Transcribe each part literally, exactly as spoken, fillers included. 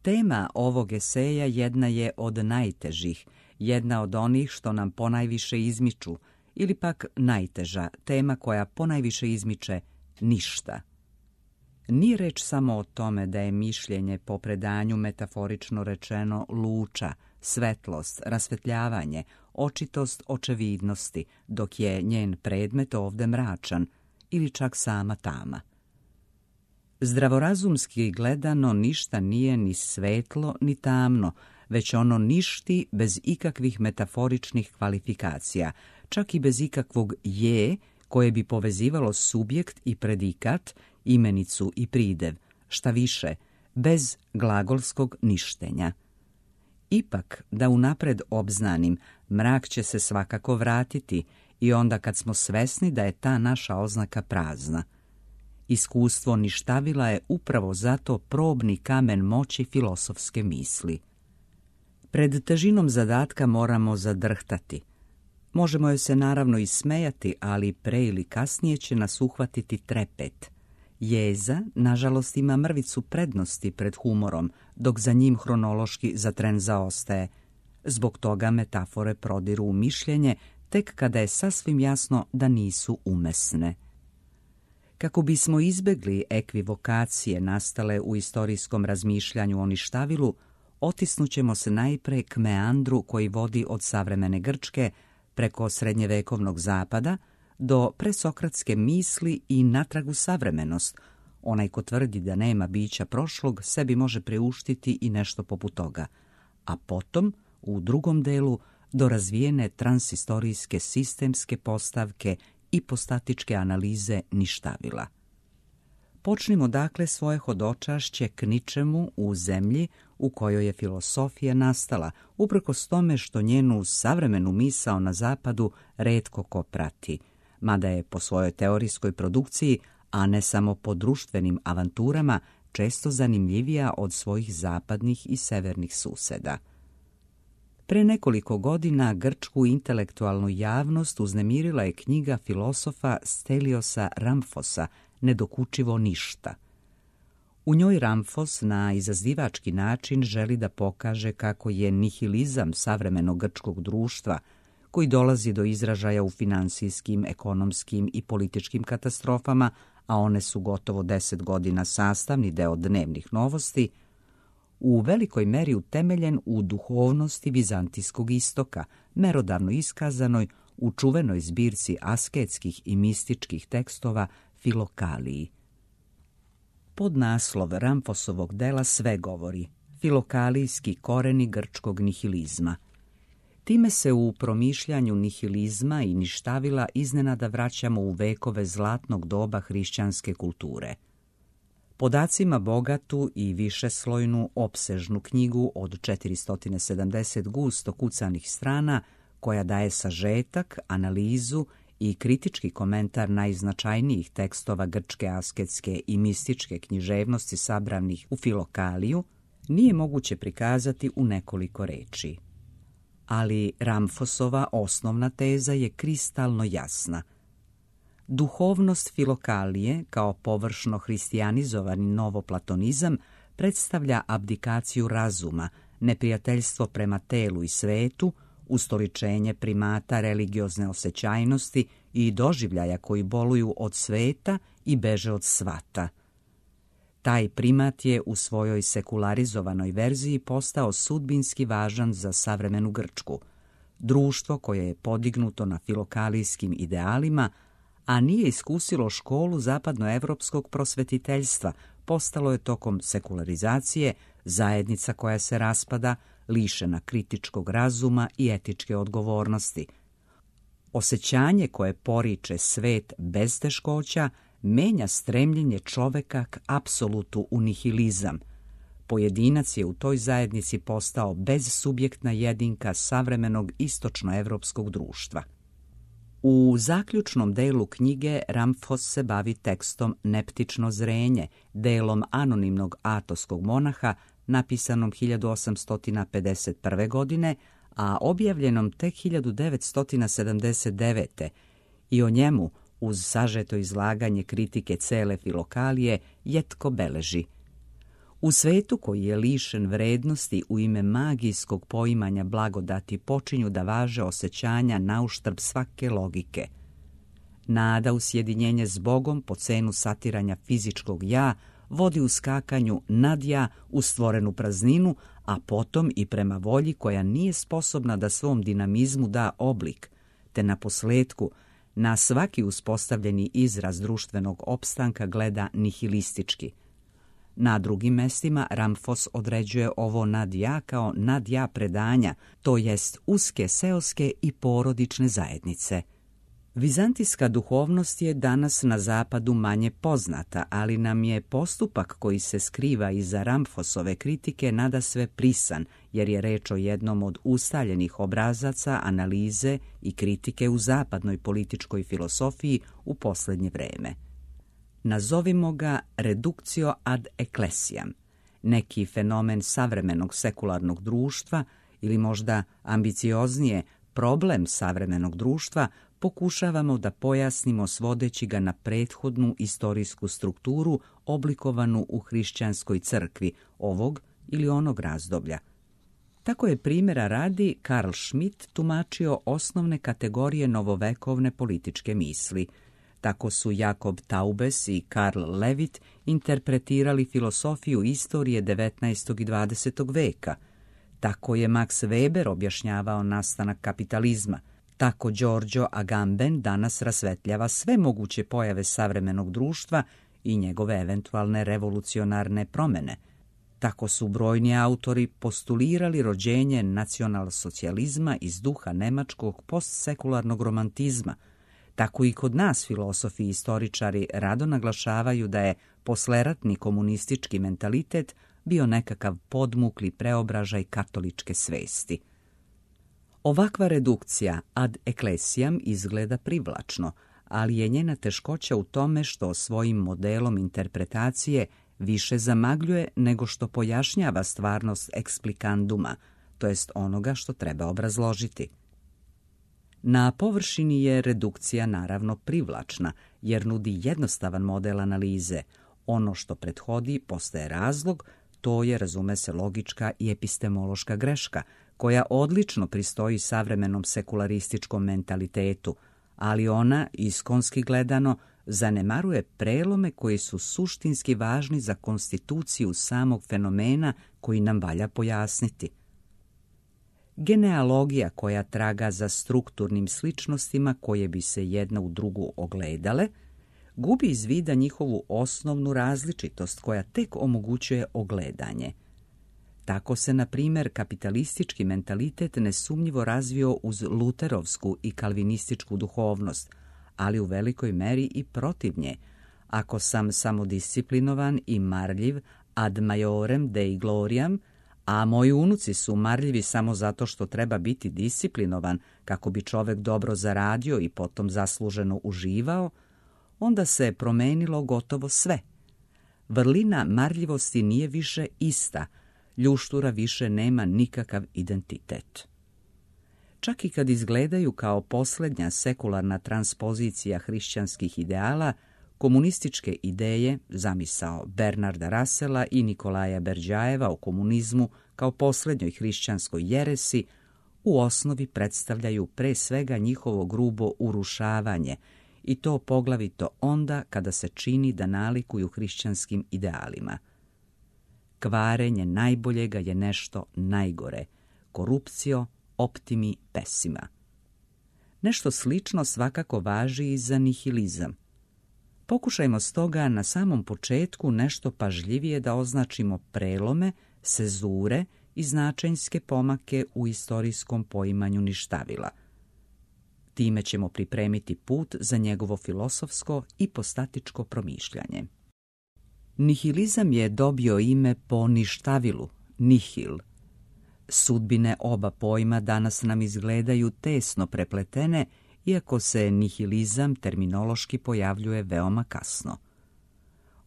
Tema ovog eseja jedna je od najtežih, jedna od onih što nam ponajviše izmiču, ili pak najteža, tema koja ponajviše izmiče ništa. Nije reč samo o tome da je mišljenje po predanju metaforično rečeno luča, svetlost, rasvetljavanje, očitost očevidnosti, dok je njen predmet ovde mračan ili čak sama tama. Zdravorazumski gledano ništa nije ni svetlo ni tamno, već ono ništi bez ikakvih metaforičnih kvalifikacija, čak i bez ikakvog je koje bi povezivalo subjekt i predikat, imenicu i pridev, šta više, bez glagolskog ništenja. Ipak, da unapred obznanim, mrak će se svakako vratiti i onda kad smo svesni da je ta naša oznaka prazna. Iskustvo ništavila je upravo zato probni kamen moći filosofske misli. Pred težinom zadatka moramo zadrhtati. Možemo joj se naravno i smejati, ali pre ili kasnije će nas uhvatiti trepet. Jeza, nažalost, ima mrvicu prednosti pred humorom, dok za njim hronološki za tren zaostaje. Zbog toga metafore prodiru u mišljenje tek kada je sasvim jasno da nisu umesne. Kako bismo izbegli ekvivokacije nastale u istorijskom razmišljanju o ništavilu, otisnućemo se najpre k meandru koji vodi od savremene Grčke preko srednjevekovnog zapada do presokratske misli i natrag u savremenost. Onaj ko tvrdi da nema bića prošlog sebi može priuštiti i nešto poput toga, a potom, u drugom delu, do razvijene transistorijske sistemske postavke i postatičke analize ništavila. Počnimo dakle svoje hodočašće k ničemu u zemlji u kojoj je filosofija nastala, uprkos tome što njenu savremenu misao na zapadu retko ko prati, mada je po svojoj teorijskoj produkciji, a ne samo po društvenim avanturama, često zanimljivija od svojih zapadnih i severnih suseda. Pre nekoliko godina grčku intelektualnu javnost uznemirila je knjiga filosofa Steliosa Ramfosa Nedokučivo ništa. U njoj Ramfos na izazivački način želi da pokaže kako je nihilizam savremenog grčkog društva, koji dolazi do izražaja u finansijskim, ekonomskim i političkim katastrofama, a one su gotovo deset godina sastavni deo dnevnih novosti, u velikoj meri utemeljen u duhovnosti vizantijskog istoka, merodavno iskazanoj u čuvenoj zbirci asketskih i mističkih tekstova Filokaliji. Podnaslov Ramfosovog dela sve govori: Filokalijski koreni grčkog nihilizma. Time se u promišljanju nihilizma i ništavila iznenada vraćamo u vekove zlatnog doba hrišćanske kulture. Podacima bogatu i višeslojnu opsežnu knjigu od četiristo sedamdeset gusto kucanih strana, koja daje sažetak, analizu i kritički komentar najznačajnijih tekstova grčke asketske i mističke književnosti sabranih u Filokaliju, nije moguće prikazati u nekoliko reči. Ali Ramfosova osnovna teza je kristalno jasna. Duhovnost Filokalije, kao površno hristijanizovani novoplatonizam, predstavlja abdikaciju razuma, neprijateljstvo prema telu i svetu, ustoličenje primata religiozne osjećajnosti i doživljaja koji boluju od sveta i beže od svata. Taj primat je u svojoj sekularizovanoj verziji postao sudbinski važan za savremenu Grčku. Društvo koje je podignuto na filokalijskim idealima, a nije iskusilo školu zapadnoevropskog prosvetiteljstva, postalo je tokom sekularizacije zajednica koja se raspada, lišena kritičkog razuma i etičke odgovornosti. Osjećanje koje poriče svet bez teškoća menja stremljenje čoveka k apsolutu u nihilizam. Pojedinac je u toj zajednici postao bezsubjektna jedinka savremenog istočnoevropskog društva. U zaključnom delu knjige Ramfos se bavi tekstom Neptično zrenje, delom anonimnog atonskog monaha, napisanom hiljadu osamsto pedeset prve. godine, a objavljenom tek hiljadu devetsto sedamdeset devete. i o njemu, uz sažeto izlaganje kritike cele Filokalije, jetko beleži: U svetu koji je lišen vrednosti u ime magijskog poimanja blagodati počinju da važe osjećanja nauštrb svake logike. Nada u sjedinjenje s Bogom po cenu satiranja fizičkog ja vodi u skakanju nad ja u stvorenu prazninu, a potom i prema volji koja nije sposobna da svom dinamizmu da oblik, te na posljetku na svaki uspostavljeni izraz društvenog opstanka gleda nihilistički. Na drugim mestima Ramfos određuje ovo nadja kao nadja predanja, to jest uske seoske i porodične zajednice. Vizantijska duhovnost je danas na zapadu manje poznata, ali nam je postupak koji se skriva iza Ramfosove kritike nadasve prisan, jer je reč o jednom od ustaljenih obrazaca analize i kritike u zapadnoj političkoj filosofiji u posljednje vreme. Nazovimo ga reductio ad ecclesiam, neki fenomen savremenog sekularnog društva ili možda ambicioznije problem savremenog društva pokušavamo da pojasnimo svodeći ga na prethodnu istorijsku strukturu oblikovanu u hrišćanskoj crkvi ovog ili onog razdoblja. Tako je primjera radi Karl Schmitt tumačio osnovne kategorije novovekovne političke misli. Tako su Jakob Taubes i Karl Levitt interpretirali filosofiju istorije devetnaestog i dvadesetog veka. Tako je Max Weber objašnjavao nastanak kapitalizma. Tako Giorgio Agamben danas rasvetljava sve moguće pojave savremenog društva i njegove eventualne revolucionarne promjene. Tako su brojni autori postulirali rođenje nacionalsocijalizma iz duha nemačkog postsekularnog romantizma. Tako i kod nas filosofi i istoričari rado naglašavaju da je posleratni komunistički mentalitet bio nekakav podmukli preobražaj katoličke svesti. Ovakva redukcija ad ecclesiam izgleda privlačno, ali je njena teškoća u tome što svojim modelom interpretacije više zamagljuje nego što pojašnjava stvarnost explicanduma, to jest onoga što treba obrazložiti. Na površini je redukcija naravno privlačna, jer nudi jednostavan model analize. Ono što prethodi postaje razlog, to je, razume se, logička i epistemološka greška, koja odlično pristoji savremenom sekularističkom mentalitetu, ali ona, iskonski gledano, zanemaruje prelome koji su suštinski važni za konstituciju samog fenomena koji nam valja pojasniti. Genealogija koja traga za strukturnim sličnostima koje bi se jedna u drugu ogledale, gubi iz vida njihovu osnovnu različitost koja tek omogućuje ogledanje. Tako se, na primjer, kapitalistički mentalitet nesumnjivo razvio uz luterovsku i kalvinističku duhovnost, ali u velikoj meri i protiv nje. Ako sam samodisciplinovan i marljiv ad majorem dei gloriam, a moji unuci su marljivi samo zato što treba biti disciplinovan kako bi čovek dobro zaradio i potom zasluženo uživao, onda se promenilo gotovo sve. Vrlina marljivosti nije više ista, ljuštura više nema nikakav identitet. Čak i kad izgledaju kao posljednja sekularna transpozicija hrišćanskih ideala, komunističke ideje, zamisao Bernarda Russella i Nikolaja Berdjajeva o komunizmu kao posljednjoj hrišćanskoj jeresi, u osnovi predstavljaju pre svega njihovo grubo urušavanje, i to poglavito onda kada se čini da nalikuju hrišćanskim idealima. Kvarenje najboljega je nešto najgore, korupcio optimi pessima. Nešto slično svakako važi i za nihilizam. Pokušajmo stoga na samom početku nešto pažljivije da označimo prelome, sezure i značajnske pomake u istorijskom poimanju ništavila. Time ćemo pripremiti put za njegovo filosofsko i postatičko promišljanje. Nihilizam je dobio ime po ništavilu, nihil. Sudbine oba pojma danas nam izgledaju tesno prepletene, iako se nihilizam terminološki pojavljuje veoma kasno.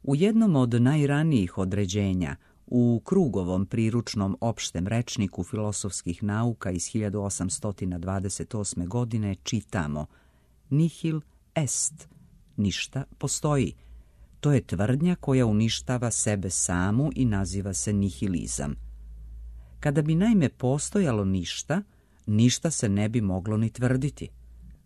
U jednom od najranijih određenja, u Krugovom priručnom opštem rečniku filosofskih nauka iz hiljadu osamsto dvadeset osme. godine čitamo: nihil est, ništa postoji. To je tvrdnja koja uništava sebe samu i naziva se nihilizam. Kada bi naime postojalo ništa, ništa se ne bi moglo ni tvrditi.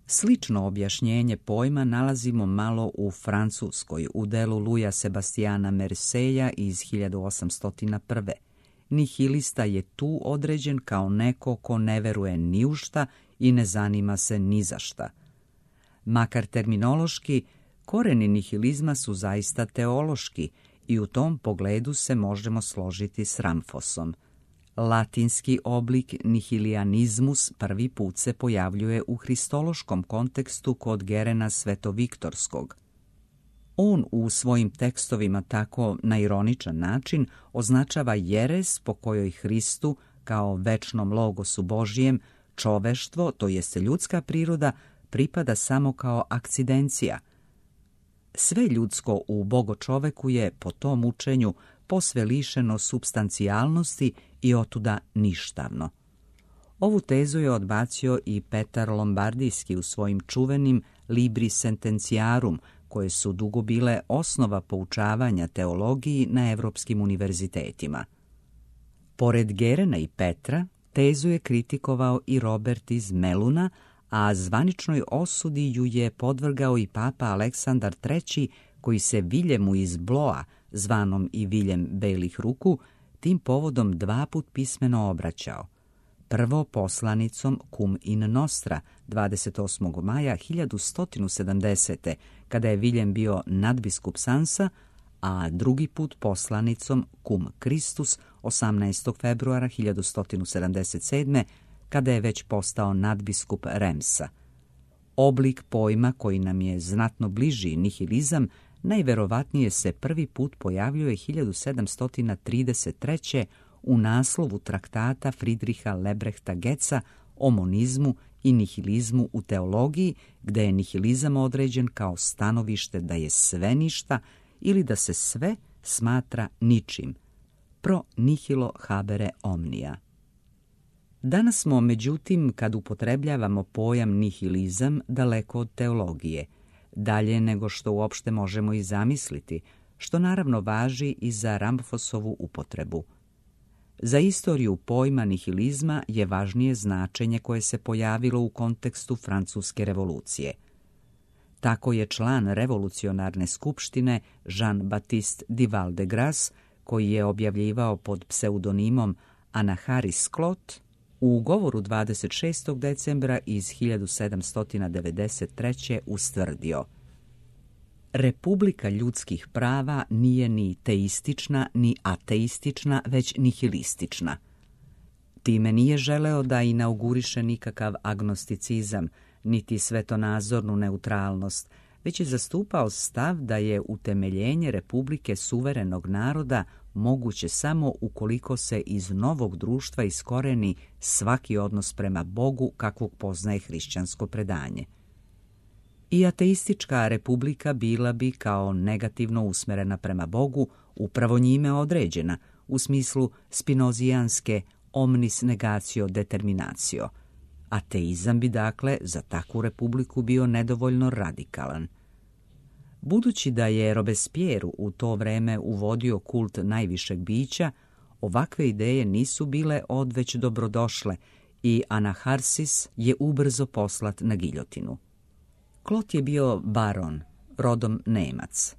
Slično objašnjenje pojma nalazimo malo u Francuskoj, u delu Louisa Sebastiana Merseja iz hiljadu osamsto prve. Nihilista je tu određen kao neko ko ne veruje ni u šta i ne zanima se ni za šta. Makar terminološki, koreni nihilizma su zaista teološki i u tom pogledu se možemo složiti s Ramfosom. Latinski oblik nihilianizmus prvi put se pojavljuje u hristološkom kontekstu kod Gerena Svetoviktorskog. On u svojim tekstovima tako na ironičan način označava jeres po kojoj Hristu, kao večnom logosu Božijem, čoveštvo, to jest ljudska priroda, pripada samo kao akcidencija. Sve ljudsko u bogočoveku je po tom učenju posve lišeno supstancijalnosti i otuda ništavno. Ovu tezu je odbacio i Petar Lombardijski u svojim čuvenim Libri Sententiarum, koje su dugo bile osnova poučavanja teologiji na evropskim univerzitetima. Pored Gerena i Petra, tezu je kritikovao i Robert iz Meluna, a zvaničnoj osudi ju je podvrgao i papa Aleksandar treći, koji se Viljemu iz Bloa, zvanom i Viljem belih ruku, tim povodom dva put pismeno obraćao. Prvo poslanicom Cum in Nostra dvadeset osmog maja hiljadu sto sedamdesete. kada je Viljem bio nadbiskup Sansa, a drugi put poslanicom Cum Christus osamnaestog februara hiljadu sto sedamdeset sedme. kada je već postao nadbiskup Remsa. Oblik pojma koji nam je znatno bliži, nihilizam, najverovatnije se prvi put pojavljuje hiljadu sedamsto trideset treće. u naslovu traktata Friedricha Lebrechta Goetza o monizmu i nihilizmu u teologiji, gde je nihilizam određen kao stanovište da je sve ništa ili da se sve smatra ničim. Pro nihilo habere omnia. Danas smo, međutim, kad upotrebljavamo pojam nihilizam, daleko od teologije, dalje nego što uopšte možemo i zamisliti, što naravno važi i za Ramfosovu upotrebu. Za istoriju pojma nihilizma je važnije značenje koje se pojavilo u kontekstu Francuske revolucije. Tako je član revolucionarne skupštine Jean-Baptiste Duval de Grasse, koji je objavljivao pod pseudonimom Anaharis Clot, u govoru dvadeset šestog decembra iz hiljadu sedamsto devedeset treće. ustvrdio: Republika ljudskih prava nije ni teistična ni ateistična, već nihilistična. Time nije želeo da inauguriše nikakav agnosticizam, niti svetonazornu neutralnost, već je zastupao stav da je utemeljenje Republike suverenog naroda moguće samo ukoliko se iz novog društva iskoreni svaki odnos prema Bogu kakvog poznaje hrišćansko predanje. I ateistička republika bila bi kao negativno usmerena prema Bogu, upravo njime određena, u smislu spinozijanske omnis negatio determinatio. Ateizam bi dakle za takvu republiku bio nedovoljno radikalan. Budući da je Robespierre u to vreme uvodio kult najvišeg bića, ovakve ideje nisu bile odveć dobrodošle i Anaharsis je ubrzo poslat na giljotinu. Klot je bio baron, rodom Nemac.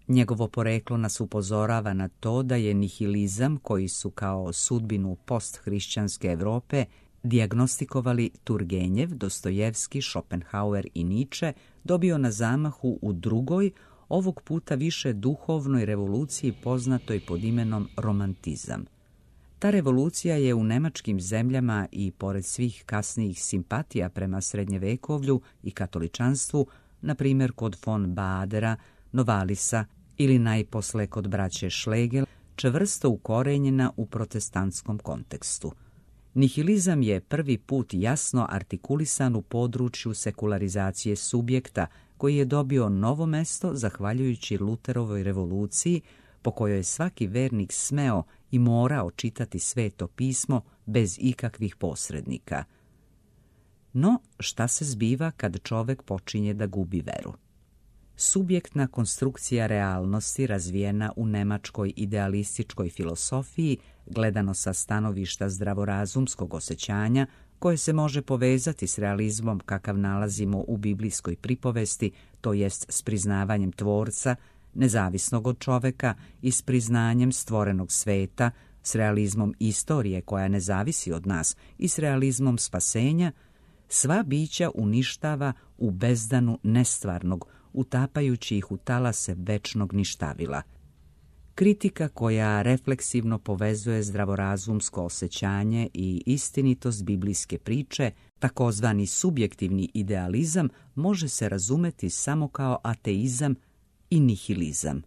Njegovo poreklo nas upozorava na to da je nihilizam, koji su kao sudbinu posthrišćanske Evrope dijagnostikovali Turgenjev, Dostojevski, Schopenhauer i Nietzsche, dobio na zamahu u drugoj, ovog puta više duhovnoj revoluciji poznatoj pod imenom romantizam. Ta revolucija je u nemačkim zemljama i pored svih kasnijih simpatija prema srednjevekovlju i katoličanstvu, na primjer kod von Badera, Novalisa ili najposle kod braće Schlegel, čvrsto ukorenjena u protestantskom kontekstu. Nihilizam je prvi put jasno artikulisan u području sekularizacije subjekta, koji je dobio novo mesto zahvaljujući Luterovoj revoluciji, po kojoj je svaki vernik smeo i morao čitati Sveto pismo bez ikakvih posrednika. No, šta se zbiva kad čovek počinje da gubi veru? subjektna konstrukcija realnosti razvijena u nemačkoj idealističkoj filosofiji, gledano sa stanovišta zdravorazumskog osjećanja, koje se može povezati s realizmom kakav nalazimo u biblijskoj pripovesti, to jest s priznavanjem tvorca, nezavisnog od čoveka, i s priznanjem stvorenog sveta, s realizmom istorije koja ne zavisi od nas i s realizmom spasenja, sva bića uništava u bezdanu nestvarnog, utapajući ih u talase večnog ništavila. Kritika koja refleksivno povezuje zdravorazumsko osjećanje i istinitost biblijske priče, takozvani subjektivni idealizam, može se razumeti samo kao ateizam i nihilizam.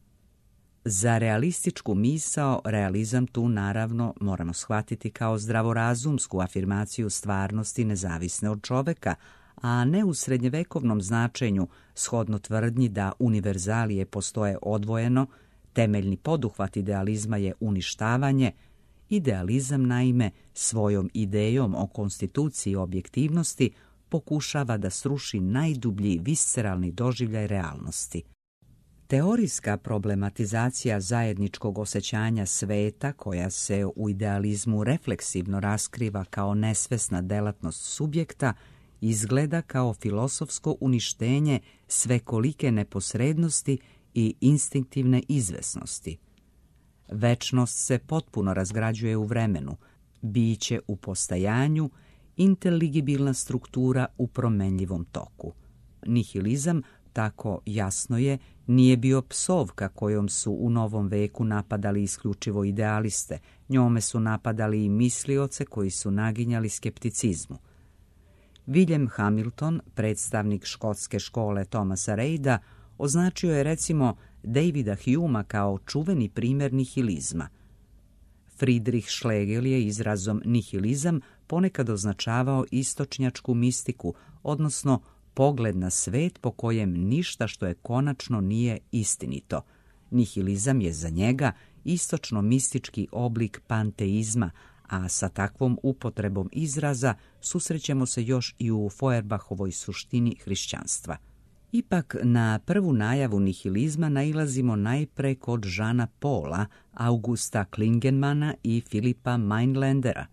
Za realističku misao, realizam tu naravno moramo shvatiti kao zdravorazumsku afirmaciju stvarnosti nezavisne od čoveka, a ne u srednjevekovnom značenju, shodno tvrdnji da univerzalije postoje odvojeno. Temeljni poduhvat idealizma je uništavanje. Idealizam, naime, svojom idejom o konstituciji objektivnosti pokušava da sruši najdublji visceralni doživljaj realnosti. Teorijska problematizacija zajedničkog osjećanja sveta, koja se u idealizmu refleksivno raskriva kao nesvesna delatnost subjekta, izgleda kao filosofsko uništenje svekolike neposrednosti i instinktivne izvesnosti. Večnost se potpuno razgrađuje u vremenu, biće u postajanju, inteligibilna struktura u promenljivom toku. Nihilizam, tako jasno je, nije bio psovka kojom su u novom veku napadali isključivo idealiste, njome su napadali i mislioce koji su naginjali skepticizmu. William Hamilton, predstavnik škotske škole Thomasa Reida, označio je recimo Davida Humea kao čuveni primjer nihilizma. Friedrich Schlegel je izrazom nihilizam ponekad označavao istočnjačku mistiku, odnosno pogled na svet po kojem ništa što je konačno nije istinito. Nihilizam je za njega istočno-mistički oblik panteizma, a sa takvom upotrebom izraza susrećemo se još i u Feuerbahovoj suštini hrišćanstva. Ipak na prvu najavu nihilizma nailazimo najpre kod Jeana Paula, Augusta Klingemana i Filipa Mainlandera.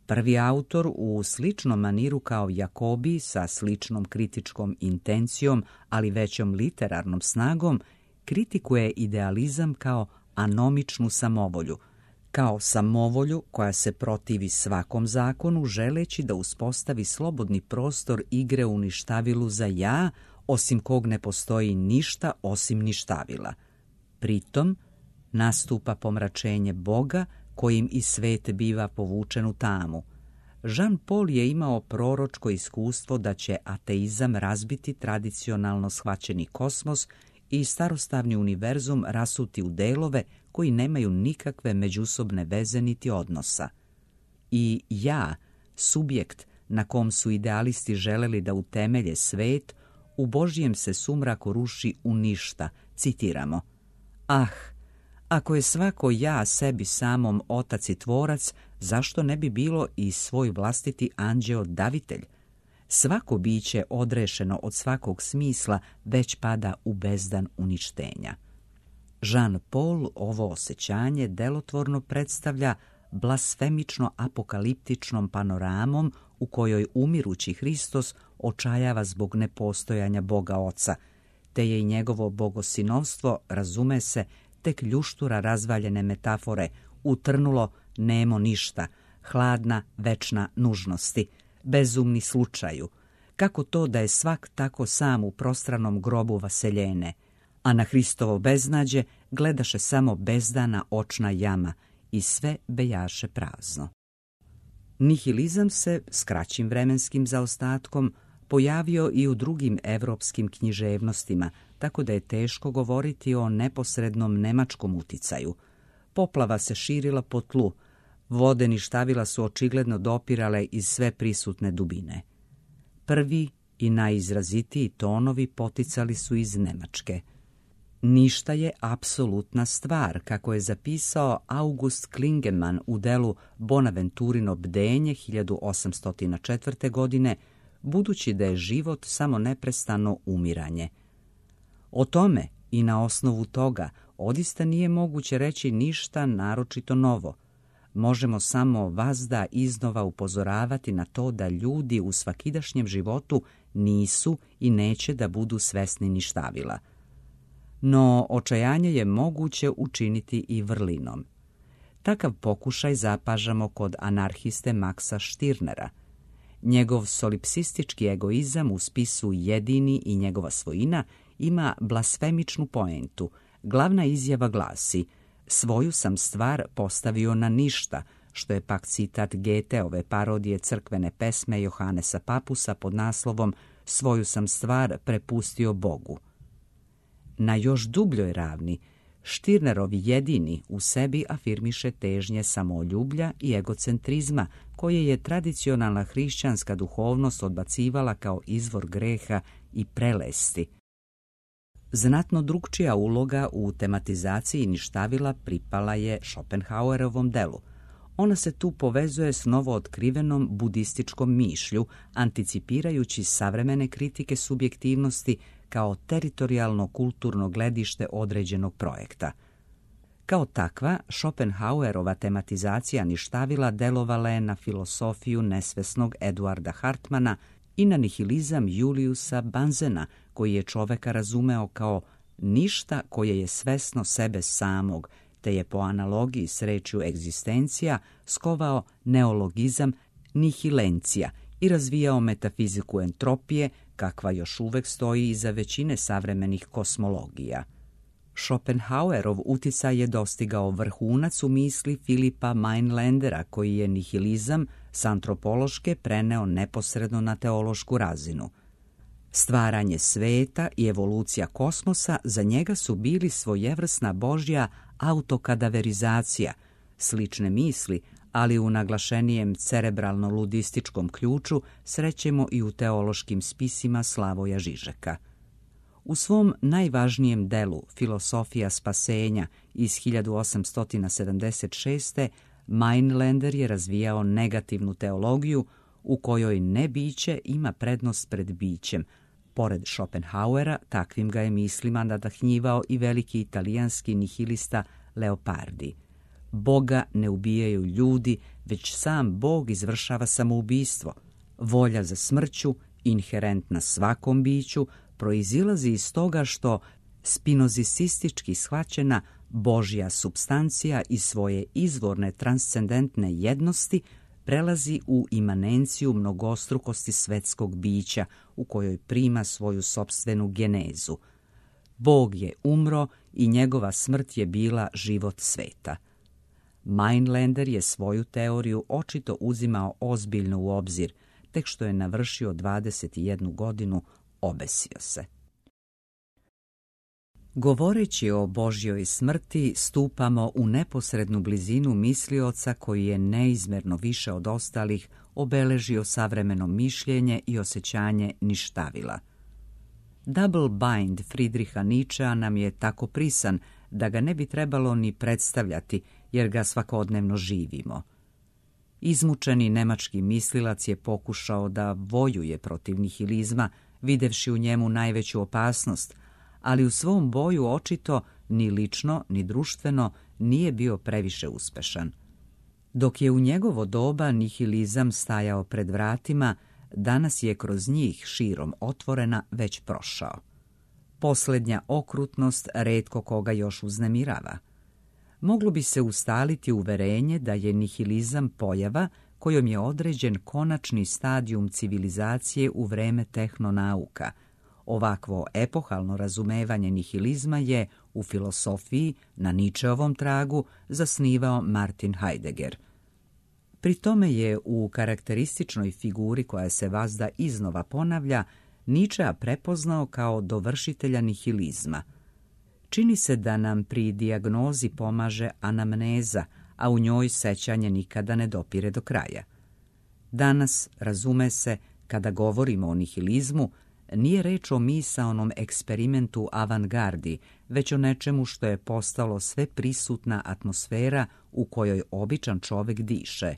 Prvi autor u sličnom maniru kao Jacobi, sa sličnom kritičkom intencijom, ali većom literarnom snagom, kritikuje idealizam kao anomičnu samovolju, kao samovolju koja se protivi svakom zakonu, želeći da uspostavi slobodni prostor igre u ništavilu za ja, osim kog ne postoji ništa osim ništavila. Pritom nastupa pomračenje Boga, kojim i svet biva povučen u tamu. Jean Paul je imao proročko iskustvo da će ateizam razbiti tradicionalno shvaćeni kosmos i starostavni univerzum rasuti u delove koji nemaju nikakve međusobne veze niti odnosa. I ja, subjekt na kom su idealisti želeli da utemelje svet, u Božjem se sumraku ruši u ništa, citiramo. Ah, ako je svako ja sebi samom otac i tvorac, zašto ne bi bilo i svoj vlastiti anđeo davitelj? Svako biće odrešeno od svakog smisla već pada u bezdan uništenja. Jean Paul ovo osjećanje delotvorno predstavlja blasfemično apokaliptičnom panoramom u kojoj umirući Hristos očajava zbog nepostojanja Boga Oca, te je i njegovo bogosinovstvo, razume se, tek ljuštura razvaljene metafore, utrnulo nemo ništa, hladna večna nužnosti, bezumni slučaju, kako to da je svak tako sam u prostranom grobu vaseljene, a na Hristovo beznađe gledaše samo bezdana očna jama i sve bejaše prazno. Nihilizam se s kraćim vremenskim zaostatkom pojavio i u drugim evropskim književnostima, tako da je teško govoriti o neposrednom nemačkom uticaju. Poplava se širila po tlu, vode ništavila su očigledno dopirale iz sve prisutne dubine. Prvi i najizrazitiji tonovi poticali su iz Nemačke. Ništa je apsolutna stvar, kako je zapisao August Klingemann u delu Bonaventurino bdenje hiljadu osamsto četvrte. godine, budući da je život samo neprestano umiranje. O tome i na osnovu toga odista nije moguće reći ništa naročito novo. Možemo samo vazda iznova upozoravati na to da ljudi u svakidašnjem životu nisu i neće da budu svesni ništavila. No, očajanje je moguće učiniti i vrlinom. Takav pokušaj zapažamo kod anarhiste Maxa Stirnera. Njegov solipsistički egoizam u spisu Jedini i njegova svojina ima blasfemičnu poentu. Glavna izjava glasi: svoju sam stvar postavio na ništa, što je pak citat Goetheove parodije crkvene pesme Johanesa Papusa pod naslovom Svoju sam stvar prepustio Bogu. Na još dubljoj ravni, Stirnerovi Jedini u sebi afirmiše težnje samoljublja i egocentrizma, koje je tradicionalna hrišćanska duhovnost odbacivala kao izvor greha i prelesti. Znatno drukčija uloga u tematizaciji ništavila pripala je Schopenhauerovom delu. Ona se tu povezuje s novootkrivenom budističkom mišlju, anticipirajući savremene kritike subjektivnosti kao teritorijalno kulturno gledište određenog projekta. Kao takva, Schopenhauerova tematizacija ništavila delovala je na filosofiju nesvesnog Eduarda Hartmana i na nihilizam Juliusa Banzena, koji je čoveka razumeo kao ništa koje je svesno sebe samog, te je po analogiji s rečju egzistencija skovao neologizam nihilencija i razvijao metafiziku entropije, kakva još uvek stoji iza većine savremenih kosmologija. Schopenhauerov uticaj je dostigao vrhunac u misli Filipa Mainlandera, koji je nihilizam s antropološke preneo neposredno na teološku razinu. Stvaranje sveta i evolucija kosmosa za njega su bili svojevrsna božja autokadaverizacija, slične misli, ali u naglašenijem cerebralno-ludističkom ključu srećemo i u teološkim spisima Slavoja Žižeka. U svom najvažnijem delu Filosofija spasenja iz hiljadu osamsto sedamdeset šeste. Mainlander je razvijao negativnu teologiju u kojoj nebiće ima prednost pred bićem. Pored Schopenhauera, takvim ga je mislima nadahnjivao i veliki italijanski nihilista Leopardi. Boga ne ubijaju ljudi, već sam Bog izvršava samoubistvo. Volja za smrću, inherentna svakom biću, proizilazi iz toga što spinozisistički shvaćena Božja supstancija iz svoje izvorne transcendentne jednosti prelazi u imanenciju mnogostrukosti svetskog bića u kojoj prima svoju sopstvenu genezu. Bog je umro i njegova smrt je bila život sveta. Mainlander je svoju teoriju očito uzimao ozbiljno u obzir, tek što je navršio dvadeset jednu godinu obesio se. Govoreći o Božjoj smrti, stupamo u neposrednu blizinu mislioca koji je neizmerno više od ostalih obeležio savremeno mišljenje i osjećanje ništavila. Double bind Friedricha Nietzschea nam je tako prisan da ga ne bi trebalo ni predstavljati, jer ga svakodnevno živimo. Izmučeni nemački mislilac je pokušao da vojuje protiv nihilizma, videvši u njemu najveću opasnost, ali u svom boju očito ni lično ni društveno nije bio previše uspešan. Dok je u njegovo doba nihilizam stajao pred vratima, danas je kroz njih širom otvorena već prošao. Posljednja okrutnost retko koga još uznemirava. Moglo bi se ustaliti uverenje da je nihilizam pojava kojom je određen konačni stadijum civilizacije u vreme tehnonauka. Ovakvo epohalno razumevanje nihilizma je u filosofiji na Nietzscheovom tragu zasnivao Martin Heidegger. Pri tome je u karakterističnoj figuri koja se vazda iznova ponavlja Nietzschea prepoznao kao dovršitelja nihilizma. Čini se da nam pri dijagnozi pomaže anamneza, a u njoj sećanje nikada ne dopire do kraja. Danas, razume se, kada govorimo o nihilizmu, nije reč o misaonom eksperimentu avangardi, već o nečemu što je postalo sve prisutna atmosfera u kojoj običan čovek diše.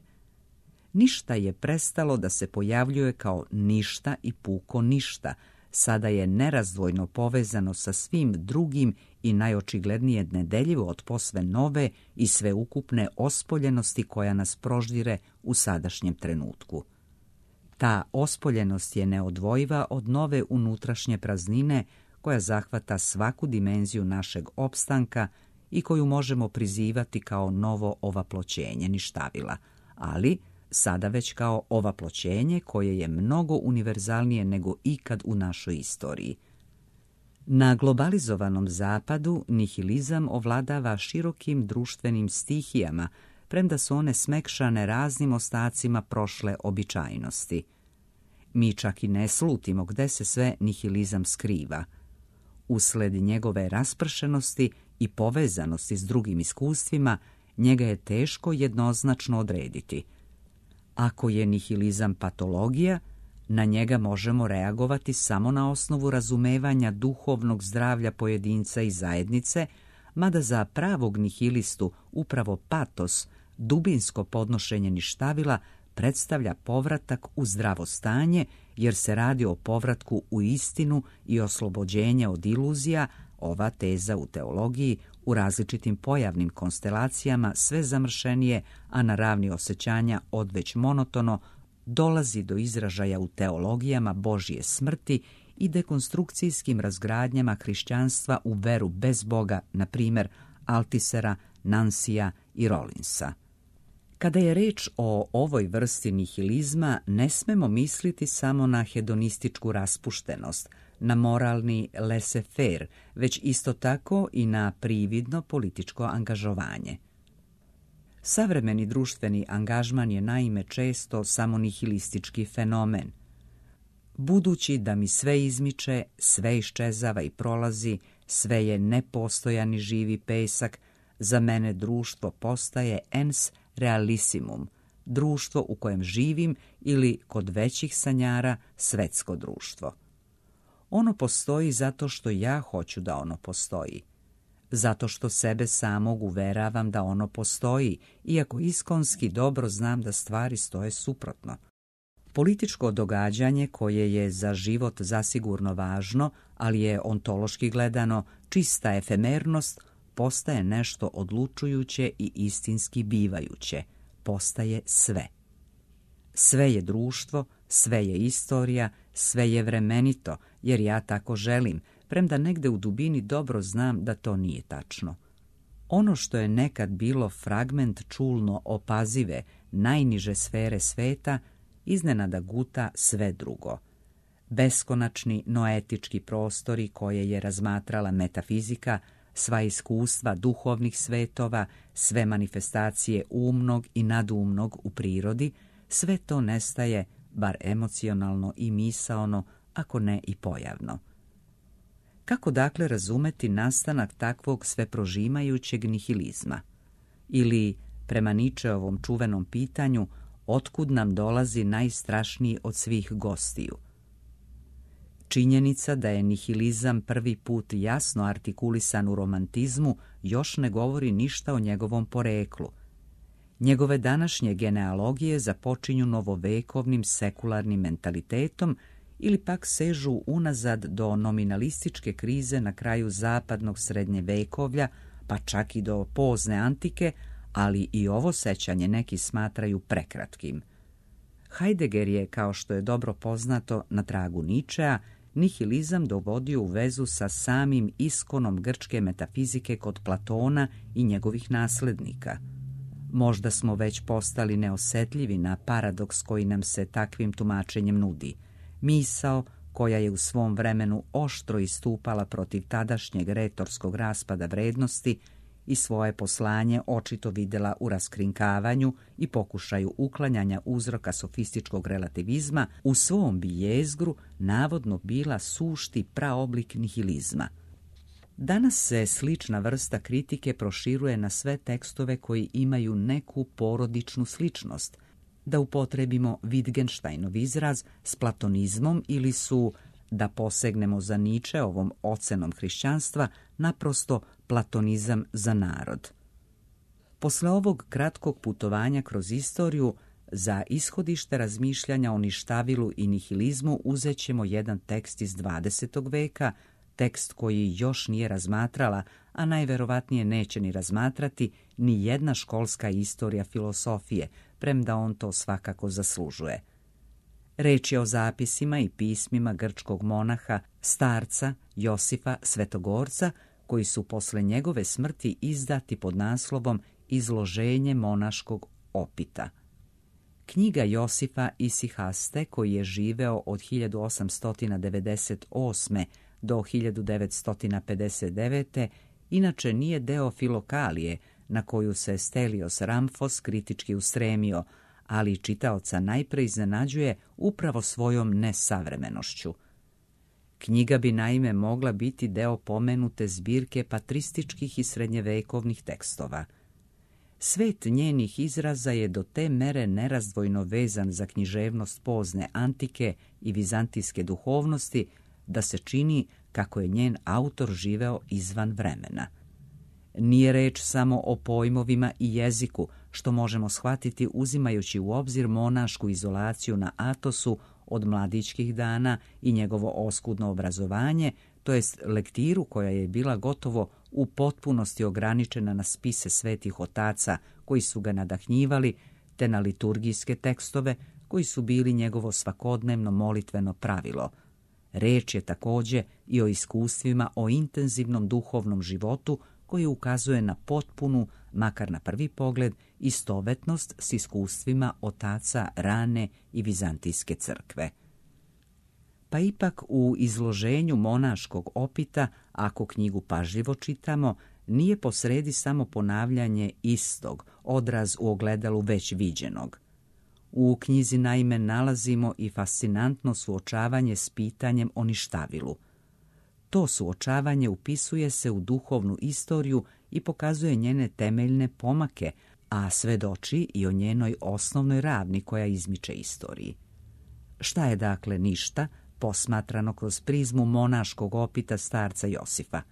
Ništa je prestalo da se pojavljuje kao ništa i puko ništa. sada je nerazdvojno povezano sa svim drugim i najočiglednije nedeljivo od posve nove i sveukupne ospoljenosti koja nas proždire u sadašnjem trenutku. Ta ospoljenost je neodvojiva od nove unutrašnje praznine koja zahvata svaku dimenziju našeg opstanka i koju možemo prizivati kao novo ovaploćenje ništavila, ali sada već kao ovaploćenje koje je mnogo univerzalnije nego ikad u našoj istoriji. Na globalizovanom zapadu nihilizam ovladava širokim društvenim stihijama, premda su one smekšane raznim ostacima prošle običajnosti. Mi čak i ne slutimo gde se sve nihilizam skriva. Usled njegove raspršenosti i povezanosti s drugim iskustvima, njega je teško jednoznačno odrediti. Ako je nihilizam patologija, na njega možemo reagovati samo na osnovu razumevanja duhovnog zdravlja pojedinca i zajednice, mada za pravog nihilistu upravo patos, dubinsko podnošenje ništavila, predstavlja povratak u zdravo stanje, jer se radi o povratku u istinu i oslobođenje od iluzija. Ova teza u teologiji u različitim pojavnim konstelacijama sve zamršenije, a na ravni osjećanja odveć monotono, dolazi do izražaja u teologijama Božje smrti i dekonstrukcijskim razgradnjama hrišćanstva u veru bez Boga, na primjer Altisera, Nansija i Rollinsa. Kada je reč o ovoj vrsti nihilizma, ne smemo misliti samo na hedonističku raspuštenost, na moralni laissez-faire, već isto tako i na prividno političko angažovanje. Savremeni društveni angažman je naime često samo nihilistički fenomen. Budući da mi sve izmiče, sve iščezava i prolazi, sve je nepostojani živi pesak, za mene društvo postaje ens realissimum, društvo u kojem živim ili, kod većih sanjara, svetsko društvo. Ono postoji zato što ja hoću da ono postoji. Zato što sebe samog uveravam da ono postoji, iako iskonski dobro znam da stvari stoje suprotno. Političko događanje koje je za život zasigurno važno, ali je ontološki gledano čista efemernost, postaje nešto odlučujuće i istinski bivajuće, postaje sve. Sve je društvo, sve je istorija, sve je vremenito, jer ja tako želim, premda negde u dubini dobro znam da to nije tačno. Ono što je nekad bilo fragment čulno opazive, najniže sfere sveta, iznenada guta sve drugo. Beskonačni noetički prostori koje je razmatrala metafizika, sva iskustva duhovnih svetova, sve manifestacije umnog i nadumnog u prirodi, sve to nestaje, bar emocionalno i misaono, ako ne i pojavno. Kako dakle razumeti nastanak takvog sveprožimajućeg nihilizma? Ili, prema Ničeovom čuvenom pitanju, otkud nam dolazi najstrašniji od svih gostiju? Činjenica da je nihilizam prvi put jasno artikulisan u romantizmu još ne govori ništa o njegovom poreklu. Njegove današnje genealogije započinju novovekovnim sekularnim mentalitetom ili pak sežu unazad do nominalističke krize na kraju zapadnog srednjevekovlja, pa čak i do pozne antike, ali i ovo sećanje neki smatraju prekratkim. Heidegger je, kao što je dobro poznato, na tragu Ničea, nihilizam dovodio u vezu sa samim iskonom grčke metafizike kod Platona i njegovih naslednika. Možda smo već postali neosetljivi na paradoks koji nam se takvim tumačenjem nudi. Misao, koja je u svom vremenu oštro istupala protiv tadašnjeg retorskog raspada vrednosti i svoje poslanje očito videla u raskrinkavanju i pokušaju uklanjanja uzroka sofističkog relativizma, u svom bi jezgru navodno bila sušti praoblik nihilizma. Danas se slična vrsta kritike proširuje na sve tekstove koji imaju neku porodičnu sličnost, da upotrebimo Wittgensteinov izraz, s platonizmom ili su, da posegnemo za Ničeovom ocenom hrišćanstva, naprosto platonizam za narod. Posle ovog kratkog putovanja kroz istoriju, Za ishodište razmišljanja o ništavilu i nihilizmu uzet ćemo jedan tekst iz dvadesetog veka, tekst koji još nije razmatrala, a najverovatnije neće ni razmatrati ni jedna školska istorija filosofije, premda on to svakako zaslužuje. Reč je o zapisima i pismima grčkog monaha, starca Josifa Svetogorca, koji su posle njegove smrti izdati pod naslovom Izloženje monaškog opita. Knjiga Josifa Isihaste, koji je živeo od hiljadu osamsto devedeset osme do hiljadu devetsto pedeset devete, inače nije deo Filokalije, na koju se Stelios Ramfos kritički ustremio, ali čitaoca najpre iznenađuje upravo svojom nesavremenošću. Knjiga bi naime mogla biti deo pomenute zbirke patrističkih i srednjevekovnih tekstova. Svet njenih izraza je do te mere nerazdvojno vezan za književnost pozne antike i vizantijske duhovnosti, da se čini kako je njen autor živeo izvan vremena. Nije reč samo o pojmovima i jeziku, što možemo shvatiti uzimajući u obzir monašku izolaciju na Atosu od mladićkih dana i njegovo oskudno obrazovanje, to jest lektiru koja je bila gotovo u potpunosti ograničena na spise svetih otaca koji su ga nadahnjivali, te na liturgijske tekstove koji su bili njegovo svakodnevno molitveno pravilo. Reč je također i o iskustvima o intenzivnom duhovnom životu koji ukazuje na potpunu, makar na prvi pogled, istovetnost s iskustvima otaca rane i vizantijske crkve. Pa ipak u izloženju monaškog opita, ako knjigu pažljivo čitamo, nije posredi samo ponavljanje istog, odraz u ogledalu već viđenog. U knjizi naime nalazimo i fascinantno suočavanje s pitanjem o ništavilu. To suočavanje upisuje se u duhovnu istoriju i pokazuje njene temeljne pomake, a svedoči i o njenoj osnovnoj ravni koja izmiče istoriji. Šta je dakle ništa, posmatrano kroz prizmu monaškog opita starca Josifa?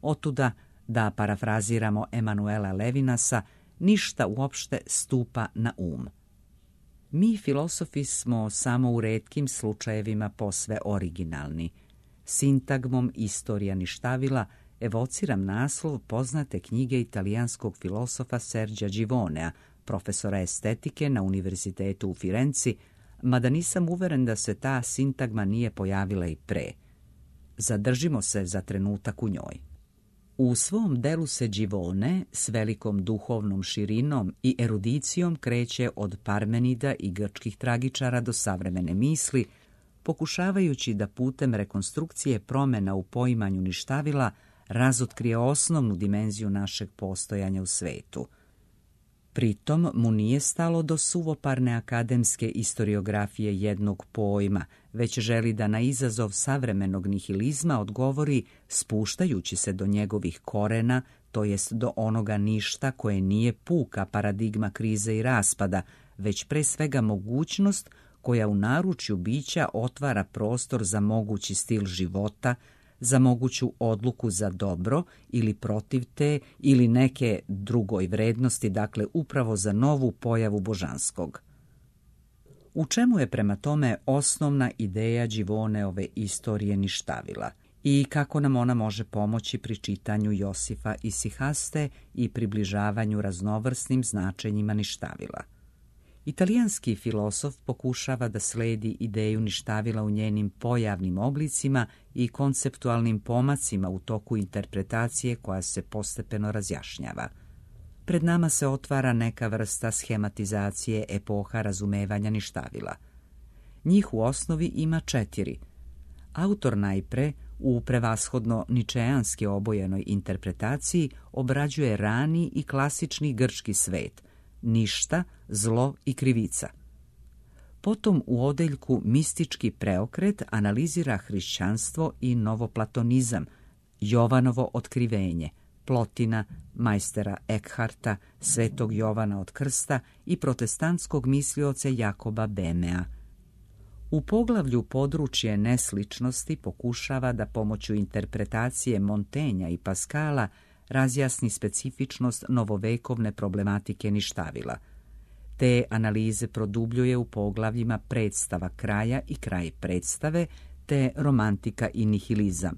Otuda, da parafraziramo Emanuela Levinasa, ništa uopšte stupa na um. Mi filosofi smo samo u retkim slučajevima posve originalni. Sintagmom Istorija ništavila evociram naslov poznate knjige italijanskog filosofa Sergia Givonea, profesora estetike na Univerzitetu u Firenci, mada nisam uveren da se ta sintagma nije pojavila i pre. Zadržimo se za trenutak u njoj. U svom delu se Givone s velikom duhovnom širinom i erudicijom kreće od Parmenida i grčkih tragičara do savremene misli, pokušavajući da putem rekonstrukcije promjena u poimanju ništavila razotkrije osnovnu dimenziju našeg postojanja u svetu. Pritom mu nije stalo do suvoparne akademske istoriografije jednog pojma, već želi da na izazov savremenog nihilizma odgovori spuštajući se do njegovih korena, to jest do onoga ništa koje nije puka paradigma krize i raspada, već pre svega mogućnost koja u naručju bića otvara prostor za mogući stil života, za moguću odluku za dobro ili protiv te ili neke drugoj vrednosti, dakle upravo za novu pojavu božanskog. U čemu je prema tome osnovna ideja Givoneove istorije ništavila i kako nam ona može pomoći pri čitanju Josifa Isihaste i približavanju raznovrsnim značenjima ništavila? Italijanski filosof pokušava da sledi ideju ništavila u njenim pojavnim oblicima i konceptualnim pomacima u toku interpretacije koja se postepeno razjašnjava. Pred nama se otvara neka vrsta schematizacije epoha razumevanja ništavila. Njih u osnovi ima četiri. Autor najpre u prevashodno ničejanski obojenoj interpretaciji obrađuje rani i klasični grčki svet, ništa, zlo i krivica. Potom u odeljku mistički preokret analizira hrišćanstvo i novoplatonizam, Jovanovo otkrivenje, Plotina, majstera Eckharta, svetog Jovana od Krsta i protestantskog mislioca Jakoba Bemea. U poglavlju područje nesličnosti pokušava da pomoću interpretacije Montaigna i Pascala razjasni specifičnost novovekovne problematike ništavila. Te analize produbljuje u poglavljima predstava kraja i kraj predstave, te romantika i nihilizam.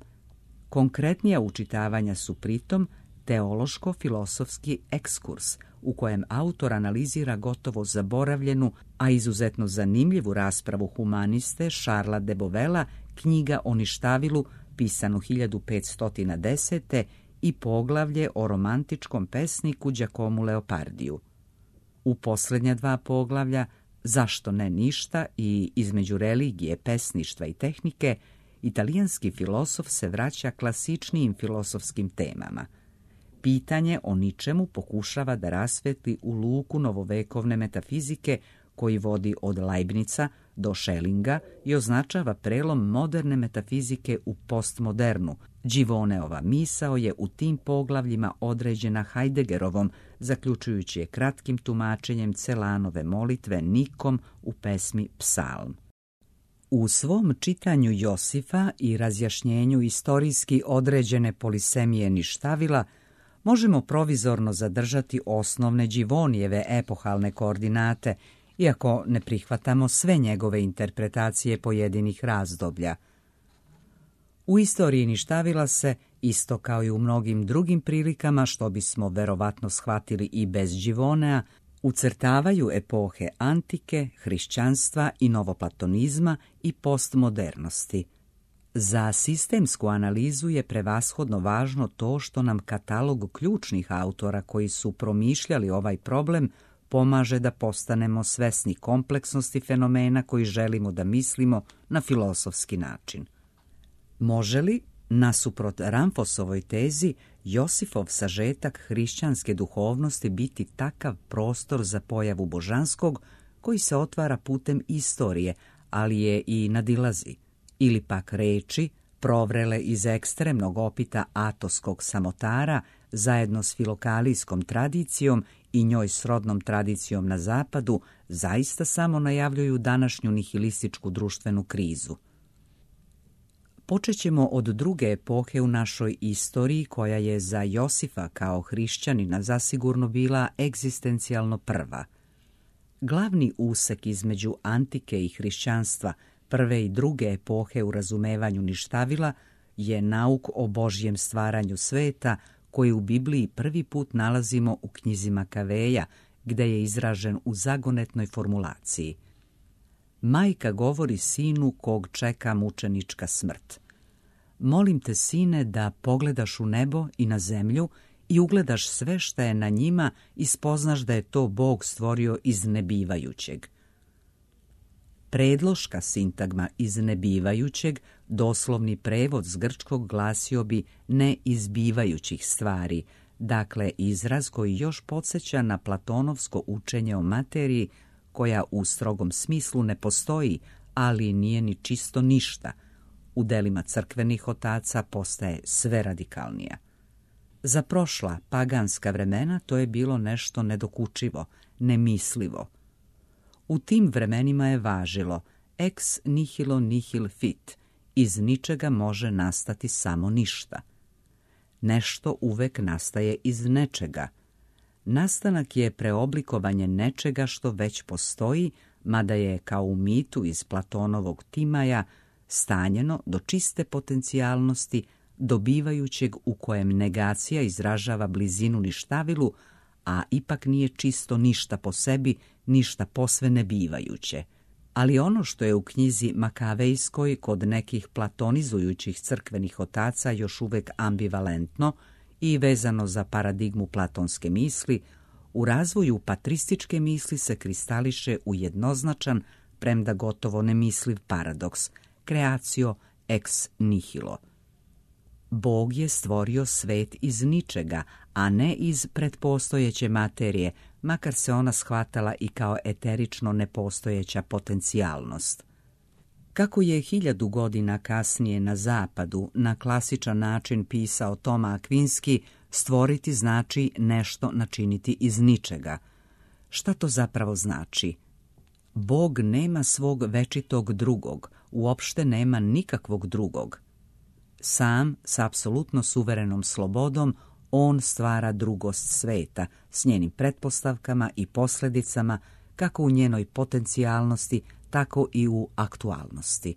Konkretnija učitavanja su pritom teološko-filosofski ekskurs, u kojem autor analizira gotovo zaboravljenu, a izuzetno zanimljivu raspravu humaniste Šarla de Bovela, Knjiga o ništavilu, pisanu hiljadu petsto desete i poglavlje o romantičkom pesniku Giacomu Leopardiju. U posljednja dva poglavlja, Zašto ne ništa i Između religije, pesništva i tehnike, italijanski filosof se vraća klasičnijim filosofskim temama. Pitanje o ničemu pokušava da rasvetli u luku novovekovne metafizike koji vodi od Leibnica do Schellinga i označava prelom moderne metafizike u postmodernu. Givoneova misao je u tim poglavljima određena Heideggerovom, zaključujući je kratkim tumačenjem Celanove molitve Nikom u pesmi Psalm. U svom čitanju Josifa i razjašnjenju istorijski određene polisemije ništavila možemo provizorno zadržati osnovne Givonijeve epohalne koordinate, iako ne prihvatamo sve njegove interpretacije pojedinih razdoblja. U istoriji ništavila se, isto kao i u mnogim drugim prilikama, što bismo verovatno shvatili i bez Givonea, ucrtavaju epohe antike, hrišćanstva i novoplatonizma i postmodernosti. Za sistemsku analizu je prevashodno važno to što nam katalog ključnih autora koji su promišljali ovaj problem pomaže da postanemo svesni kompleksnosti fenomena koji želimo da mislimo na filosofski način. Može li, nasuprot Ramfosovoj tezi, Josifov sažetak hrišćanske duhovnosti biti takav prostor za pojavu božanskog koji se otvara putem istorije, ali je i nadilazi, ili pak reči, provrele iz ekstremnog opita atoskog samotara, zajedno s filokalijskom tradicijom i njoj srodnom tradicijom na zapadu, zaista samo najavljuju današnju nihilističku društvenu krizu. Počet ćemo od druge epohe u našoj istoriji, koja je za Josifa kao hrišćanina zasigurno bila egzistencijalno prva. Glavni usek između antike i hrišćanstva, prve i druge epohe u razumevanju ništavila, je nauk o Božjem stvaranju sveta, koji u Bibliji prvi put nalazimo u knjizi Makaveja, gde je izražen u zagonetnoj formulaciji. Majka govori sinu kog čeka mučenička smrt. Molim te, sine, da pogledaš u nebo i na zemlju i ugledaš sve šta je na njima i spoznaš da je to Bog stvorio iz nebivajućeg. Predloška sintagma iz nebivajućeg, doslovni prevod s grčkog glasio bi ne izbivajućih stvari, dakle izraz koji još podsjeća na platonovsko učenje o materiji koja u strogom smislu ne postoji, ali nije ni čisto ništa. U delima crkvenih otaca postaje sve radikalnija. Za prošla paganska vremena to je bilo nešto nedokučivo, nemislivo. U tim vremenima je važilo ex nihilo nihil fit, iz ničega može nastati samo ništa. Nešto uvek nastaje iz nečega. Nastanak je preoblikovanje nečega što već postoji, mada je, kao u mitu iz Platonovog Timaja, stanjeno do čiste potencijalnosti, dobivajućeg u kojem negacija izražava blizinu ništavilu, a ipak nije čisto ništa po sebi, ništa posve nebivajuće. Ali ono što je u knjizi Makavejskoj kod nekih platonizujućih crkvenih otaca još uvek ambivalentno i vezano za paradigmu platonske misli, u razvoju patrističke misli se kristališe u jednoznačan, premda gotovo nemisliv paradoks, creatio ex nihilo. Bog je stvorio svet iz ničega, a ne iz pretpostojeće materije, makar se ona shvatala i kao eterično nepostojeća potencijalnost. Kako je hiljadu godina kasnije na zapadu na klasičan način pisao Toma Akvinski, stvoriti znači nešto načiniti iz ničega. Šta to zapravo znači? Bog nema svog večitog drugog, uopšte nema nikakvog drugog. Sam, s apsolutno suverenom slobodom, on stvara drugost sveta, s njenim pretpostavkama i posljedicama, kako u njenoj potencijalnosti, tako i u aktualnosti.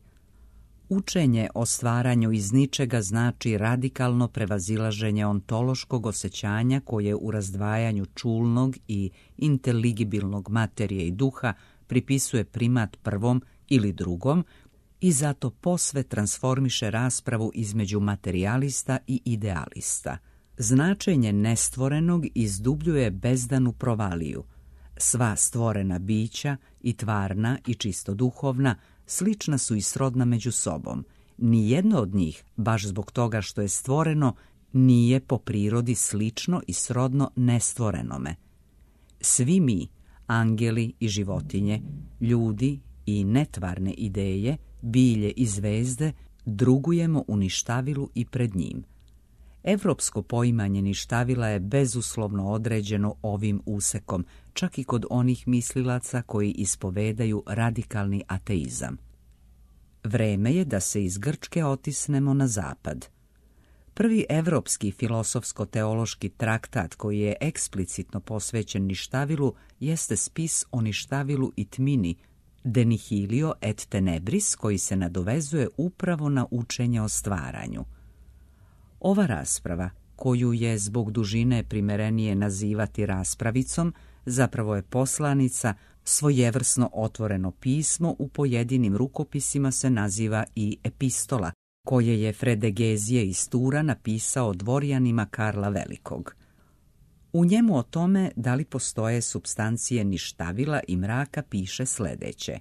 Učenje o stvaranju iz ničega znači radikalno prevazilaženje ontološkog osjećanja koje u razdvajanju čulnog i inteligibilnog materije i duha pripisuje primat prvom ili drugom i zato posve transformiše raspravu između materijalista i idealista. Značenje nestvorenog izdubljuje bezdanu provaliju. Sva stvorena bića, i tvarna i čisto duhovna, slična su i srodna među sobom. Nijedno od njih, baš zbog toga što je stvoreno, nije po prirodi slično i srodno nestvorenome. Svi mi, angeli i životinje, ljudi i netvarne ideje, bilje i zvezde, drugujemo u ništavilu i pred njim. Evropsko poimanje ništavila je bezuslovno određeno ovim usekom, čak i kod onih mislilaca koji ispovedaju radikalni ateizam. Vreme je da se iz Grčke otisnemo na zapad. Prvi evropski filosofsko-teološki traktat koji je eksplicitno posvećen ništavilu jeste spis o ništavilu i tmini, De nihilio et tenebris, koji se nadovezuje upravo na učenje o stvaranju. Ova rasprava, koju je zbog dužine primerenije nazivati raspravicom, zapravo je poslanica, svojevrsno otvoreno pismo, u pojedinim rukopisima se naziva i epistola, koje je Fredegezije iz Tura napisao dvorjanima Karla Velikog. U njemu o tome da li postoje supstancije ništavila i mraka piše sljedeće.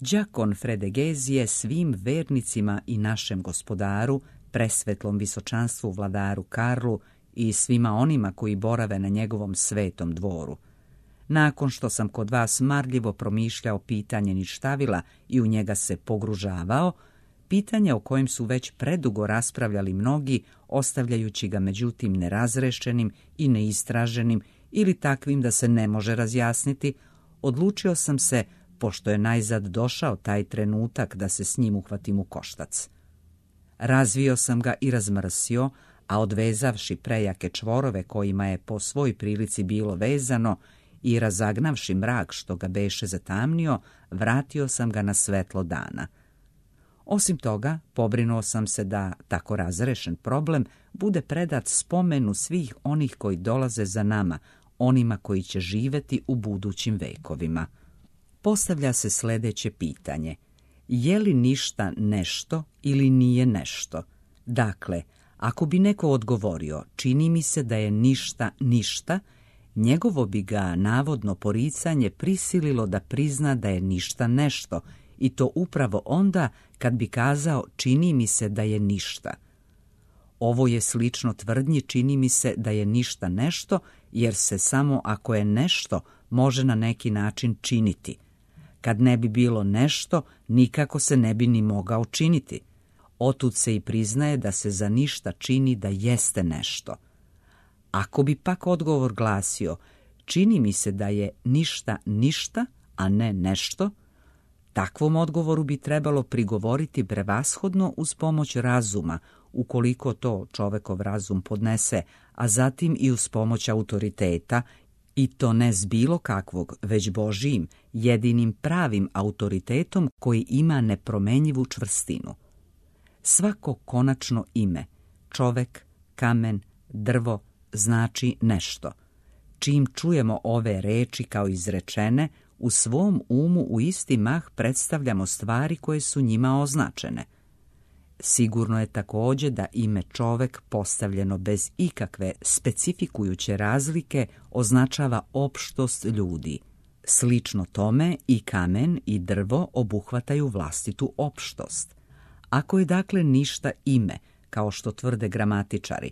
Đakon Fredegezije svim vernicima i našem gospodaru, presvetlom visočanstvu vladaru Karlu i svima onima koji borave na njegovom svetom dvoru. Nakon što sam kod vas marljivo promišljao pitanje ništavila i u njega se pogružavao, pitanje o kojem su već predugo raspravljali mnogi, ostavljajući ga međutim nerazrešenim i neistraženim ili takvim da se ne može razjasniti, odlučio sam se, pošto je najzad došao taj trenutak da se s njim uhvatim u koštac. Razvio sam ga i razmrsio, a odvezavši prejake čvorove kojima je po svoj prilici bilo vezano i razagnavši mrak što ga beše zatamnio, vratio sam ga na svetlo dana. Osim toga, pobrinuo sam se da tako razrešen problem bude predat spomenu svih onih koji dolaze za nama, onima koji će živjeti u budućim vekovima. Postavlja se sljedeće pitanje. Je li ništa nešto ili nije nešto? Dakle, ako bi neko odgovorio, čini mi se da je ništa ništa, njegovo bi ga navodno poricanje prisililo da prizna da je ništa nešto, i to upravo onda kad bi kazao čini mi se da je ništa. Ovo je slično tvrdnji čini mi se da je ništa nešto, jer se samo ako je nešto može na neki način činiti. Kad ne bi bilo nešto, nikako se ne bi ni mogao činiti. Otud se i priznaje da se za ništa čini da jeste nešto. Ako bi pak odgovor glasio, čini mi se da je ništa ništa, a ne nešto, takvom odgovoru bi trebalo prigovoriti prevashodno uz pomoć razuma, ukoliko to čovekov razum podnese, a zatim i uz pomoć autoriteta, i to ne s bilo kakvog, već Božijim, jedinim pravim autoritetom koji ima nepromenjivu čvrstinu. Svako konačno ime, čovek, kamen, drvo, znači nešto. Čim čujemo ove reči kao izrečene, u svom umu u isti mah predstavljamo stvari koje su njima označene. Sigurno je također da ime čovek postavljeno bez ikakve specifikujuće razlike označava opštost ljudi. Slično tome i kamen i drvo obuhvataju vlastitu opštost. Ako je dakle ništa ime, kao što tvrde gramatičari,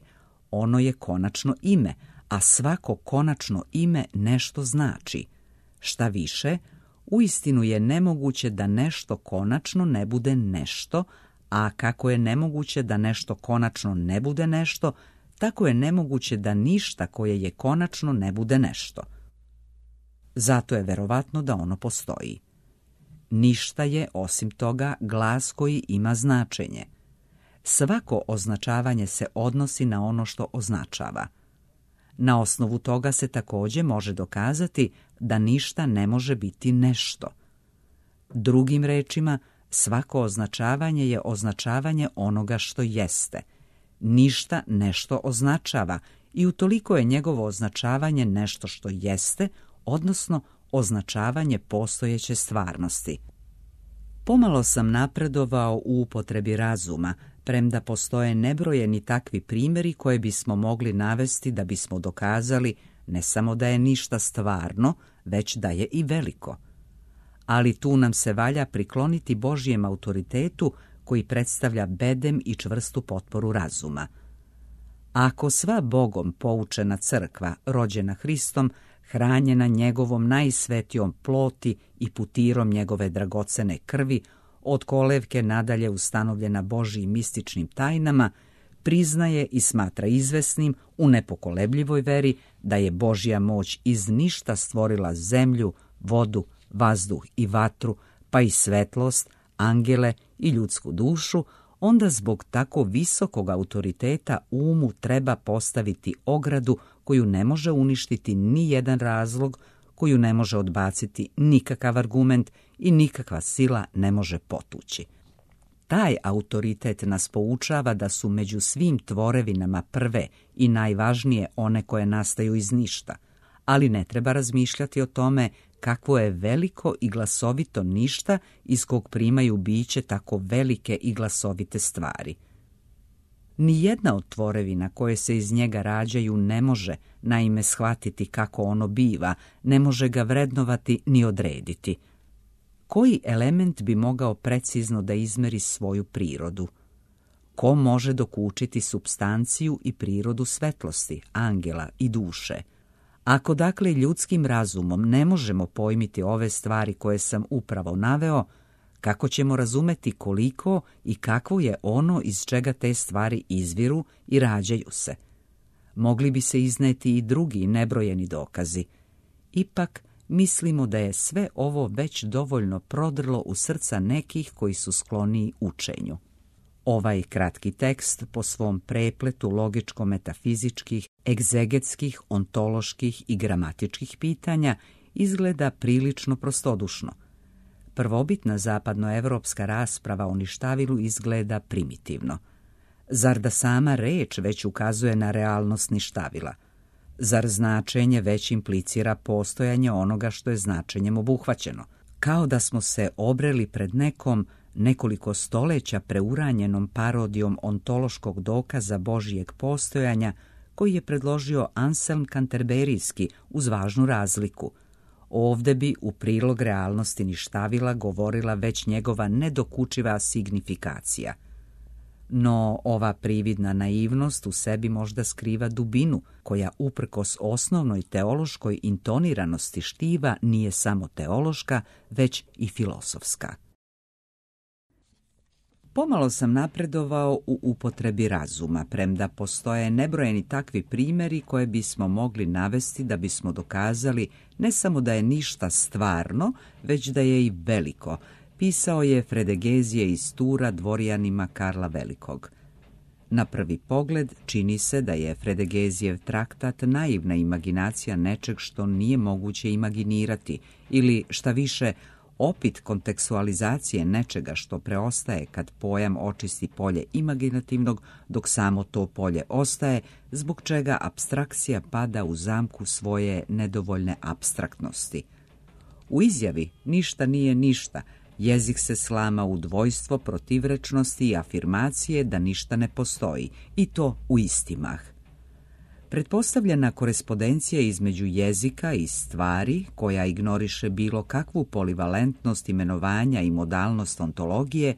ono je konačno ime, a svako konačno ime nešto znači. Šta više, uistinu je nemoguće da nešto konačno ne bude nešto, a kako je nemoguće da nešto konačno ne bude nešto, tako je nemoguće da ništa koje je konačno ne bude nešto. Zato je verovatno da ono postoji. Ništa je, osim toga, glas koji ima značenje. Svako označavanje se odnosi na ono što označava. Na osnovu toga se također može dokazati da ništa ne može biti nešto. Drugim rečima, svako označavanje je označavanje onoga što jeste. Ništa nešto označava i utoliko je njegovo označavanje nešto što jeste, odnosno označavanje postojeće stvarnosti. Pomalo sam napredovao u upotrebi razuma, premda postoje nebrojeni takvi primjeri koje bismo mogli navesti da bismo dokazali ne samo da je ništa stvarno, već da je i veliko. Ali tu nam se valja prikloniti Božjem autoritetu koji predstavlja bedem i čvrstu potporu razuma. Ako sva Bogom poučena crkva, rođena Hristom, hranjena njegovom najsvetijom ploti i putirom njegove dragocene krvi, od kolevke nadalje ustanovljena Božjim mističnim tajnama, priznaje i smatra izvesnim u nepokolebljivoj veri da je Božja moć iz ništa stvorila zemlju, vodu, vazduh i vatru, pa i svetlost, angele i ljudsku dušu, onda zbog tako visokog autoriteta umu treba postaviti ogradu koju ne može uništiti ni jedan razlog, koju ne može odbaciti nikakav argument i nikakva sila ne može potući. Taj autoritet nas poučava da su među svim tvorevinama prve i najvažnije one koje nastaju iz ništa, ali ne treba razmišljati o tome kakvo je veliko i glasovito ništa iz kog primaju biće tako velike i glasovite stvari. Nijedna od tvorevina koje se iz njega rađaju ne može, naime, shvatiti kako ono biva, ne može ga vrednovati ni odrediti. Koji element bi mogao precizno da izmeri svoju prirodu? Ko može dokučiti supstanciju i prirodu svetlosti, angela i duše? Ako dakle ljudskim razumom ne možemo pojmiti ove stvari koje sam upravo naveo, kako ćemo razumeti koliko i kakvo je ono iz čega te stvari izviru i rađaju se? Mogli bi se izneti i drugi nebrojeni dokazi. Ipak, mislimo da je sve ovo već dovoljno prodrlo u srca nekih koji su skloniji učenju. Ovaj kratki tekst po svom prepletu logičko-metafizičkih, egzegetskih, ontoloških i gramatičkih pitanja izgleda prilično prostodušno. Prvobitna zapadnoevropska rasprava o ništavilu izgleda primitivno. Zar da sama reč već ukazuje na realnost ništavila? Zar značenje već implicira postojanje onoga što je značenjem obuhvaćeno? Kao da smo se obreli pred nekom nekoliko stoleća preuranjenom parodijom ontološkog dokaza Božijeg postojanja koji je predložio Anselm Kanterberijski uz važnu razliku. Ovde bi u prilog realnosti ništavila govorila već njegova nedokučiva signifikacija. No ova prividna naivnost u sebi možda skriva dubinu, koja uprkos osnovnoj teološkoj intoniranosti štiva nije samo teološka, već i filosofska. Pomalo sam napredovao u upotrebi razuma, premda postoje nebrojeni takvi primjeri koje bismo mogli navesti da bismo dokazali ne samo da je ništa stvarno, već da je i veliko, pisao je Fredegezije iz Tura dvorijanima Karla Velikog. Na prvi pogled čini se da je Fredegezijev traktat naivna imaginacija nečeg što nije moguće imaginirati ili, šta više, opit kontekstualizacije nečega što preostaje kad pojam očisti polje imaginativnog, dok samo to polje ostaje, zbog čega apstrakcija pada u zamku svoje nedovoljne apstraktnosti. U izjavi ništa nije ništa, jezik se slama u dvojstvo protivrečnosti i afirmacije da ništa ne postoji, i to u isti mah. Pretpostavljena korespondencija između jezika i stvari, koja ignoriše bilo kakvu polivalentnost imenovanja i modalnost ontologije,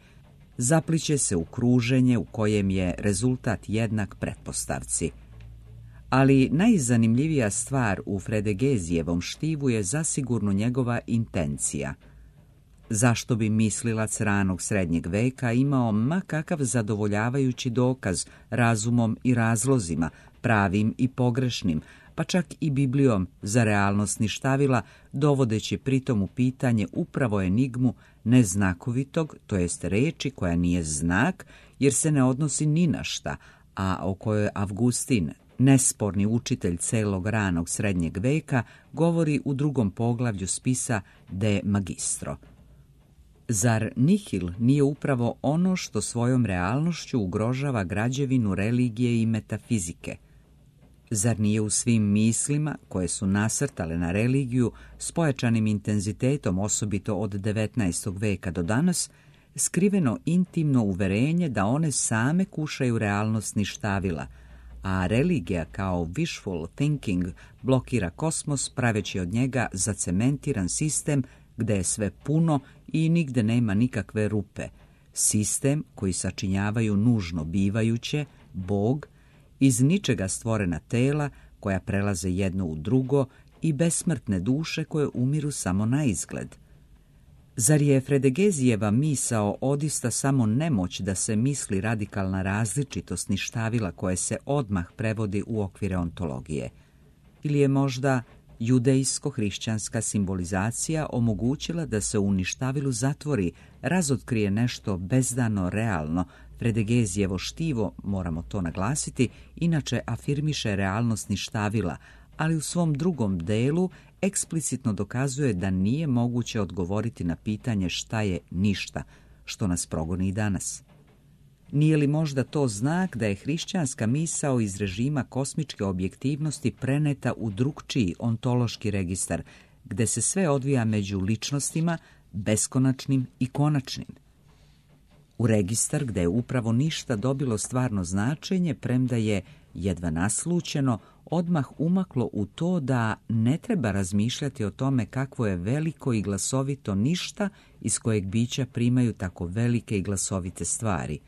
zapliće se u kruženje u kojem je rezultat jednak pretpostavci. Ali najzanimljivija stvar u Fredegezijevom štivu je zasigurno njegova intencija. Zašto bi mislilac ranog srednjeg veka imao ma kakav zadovoljavajući dokaz razumom i razlozima, pravim i pogrešnim, pa čak i Biblijom za realnost ništavila, dovodeći pritom u pitanje upravo enigmu neznakovitog, to jest reči koja nije znak, jer se ne odnosi ni na šta, a o kojoj Avgustin, nesporni učitelj celog ranog srednjeg veka, govori u drugom poglavlju spisa De Magistro. Zar nihil nije upravo ono što svojom realnošću ugrožava građevinu religije i metafizike? Zar nije u svim mislima, koje su nasrtale na religiju s pojačanim intenzitetom, osobito od devetnaestog veka do danas, skriveno intimno uverenje da one same kušaju realnost ništavila, a religija kao wishful thinking blokira kosmos praveći od njega zacementiran sistem gde je sve puno i nigde nema nikakve rupe, sistem koji sačinjavaju nužno bivajuće, Bog, iz ničega stvorena tela koja prelaze jedno u drugo i besmrtne duše koje umiru samo na izgled. Zar je Fredegezijeva misao odista samo nemoć da se misli radikalna različitost ništavila koje se odmah prevodi u okvire ontologije? Ili je možda judejsko-hrišćanska simbolizacija omogućila da se u ništavilu zatvori, razotkrije nešto bezdano realno? Fredegezijevo štivo, moramo to naglasiti, inače afirmiše realnost ništavila, ali u svom drugom delu eksplicitno dokazuje da nije moguće odgovoriti na pitanje šta je ništa, što nas progoni i danas. Nije li možda to znak da je hrišćanska misao iz režima kosmičke objektivnosti preneta u drugčiji ontološki registar, gde se sve odvija među ličnostima, beskonačnim i konačnim? U registar gde je upravo ništa dobilo stvarno značenje, premda je jedva naslućeno, odmah umaklo u to da ne treba razmišljati o tome kakvo je veliko i glasovito ništa iz kojeg bića primaju tako velike i glasovite stvari.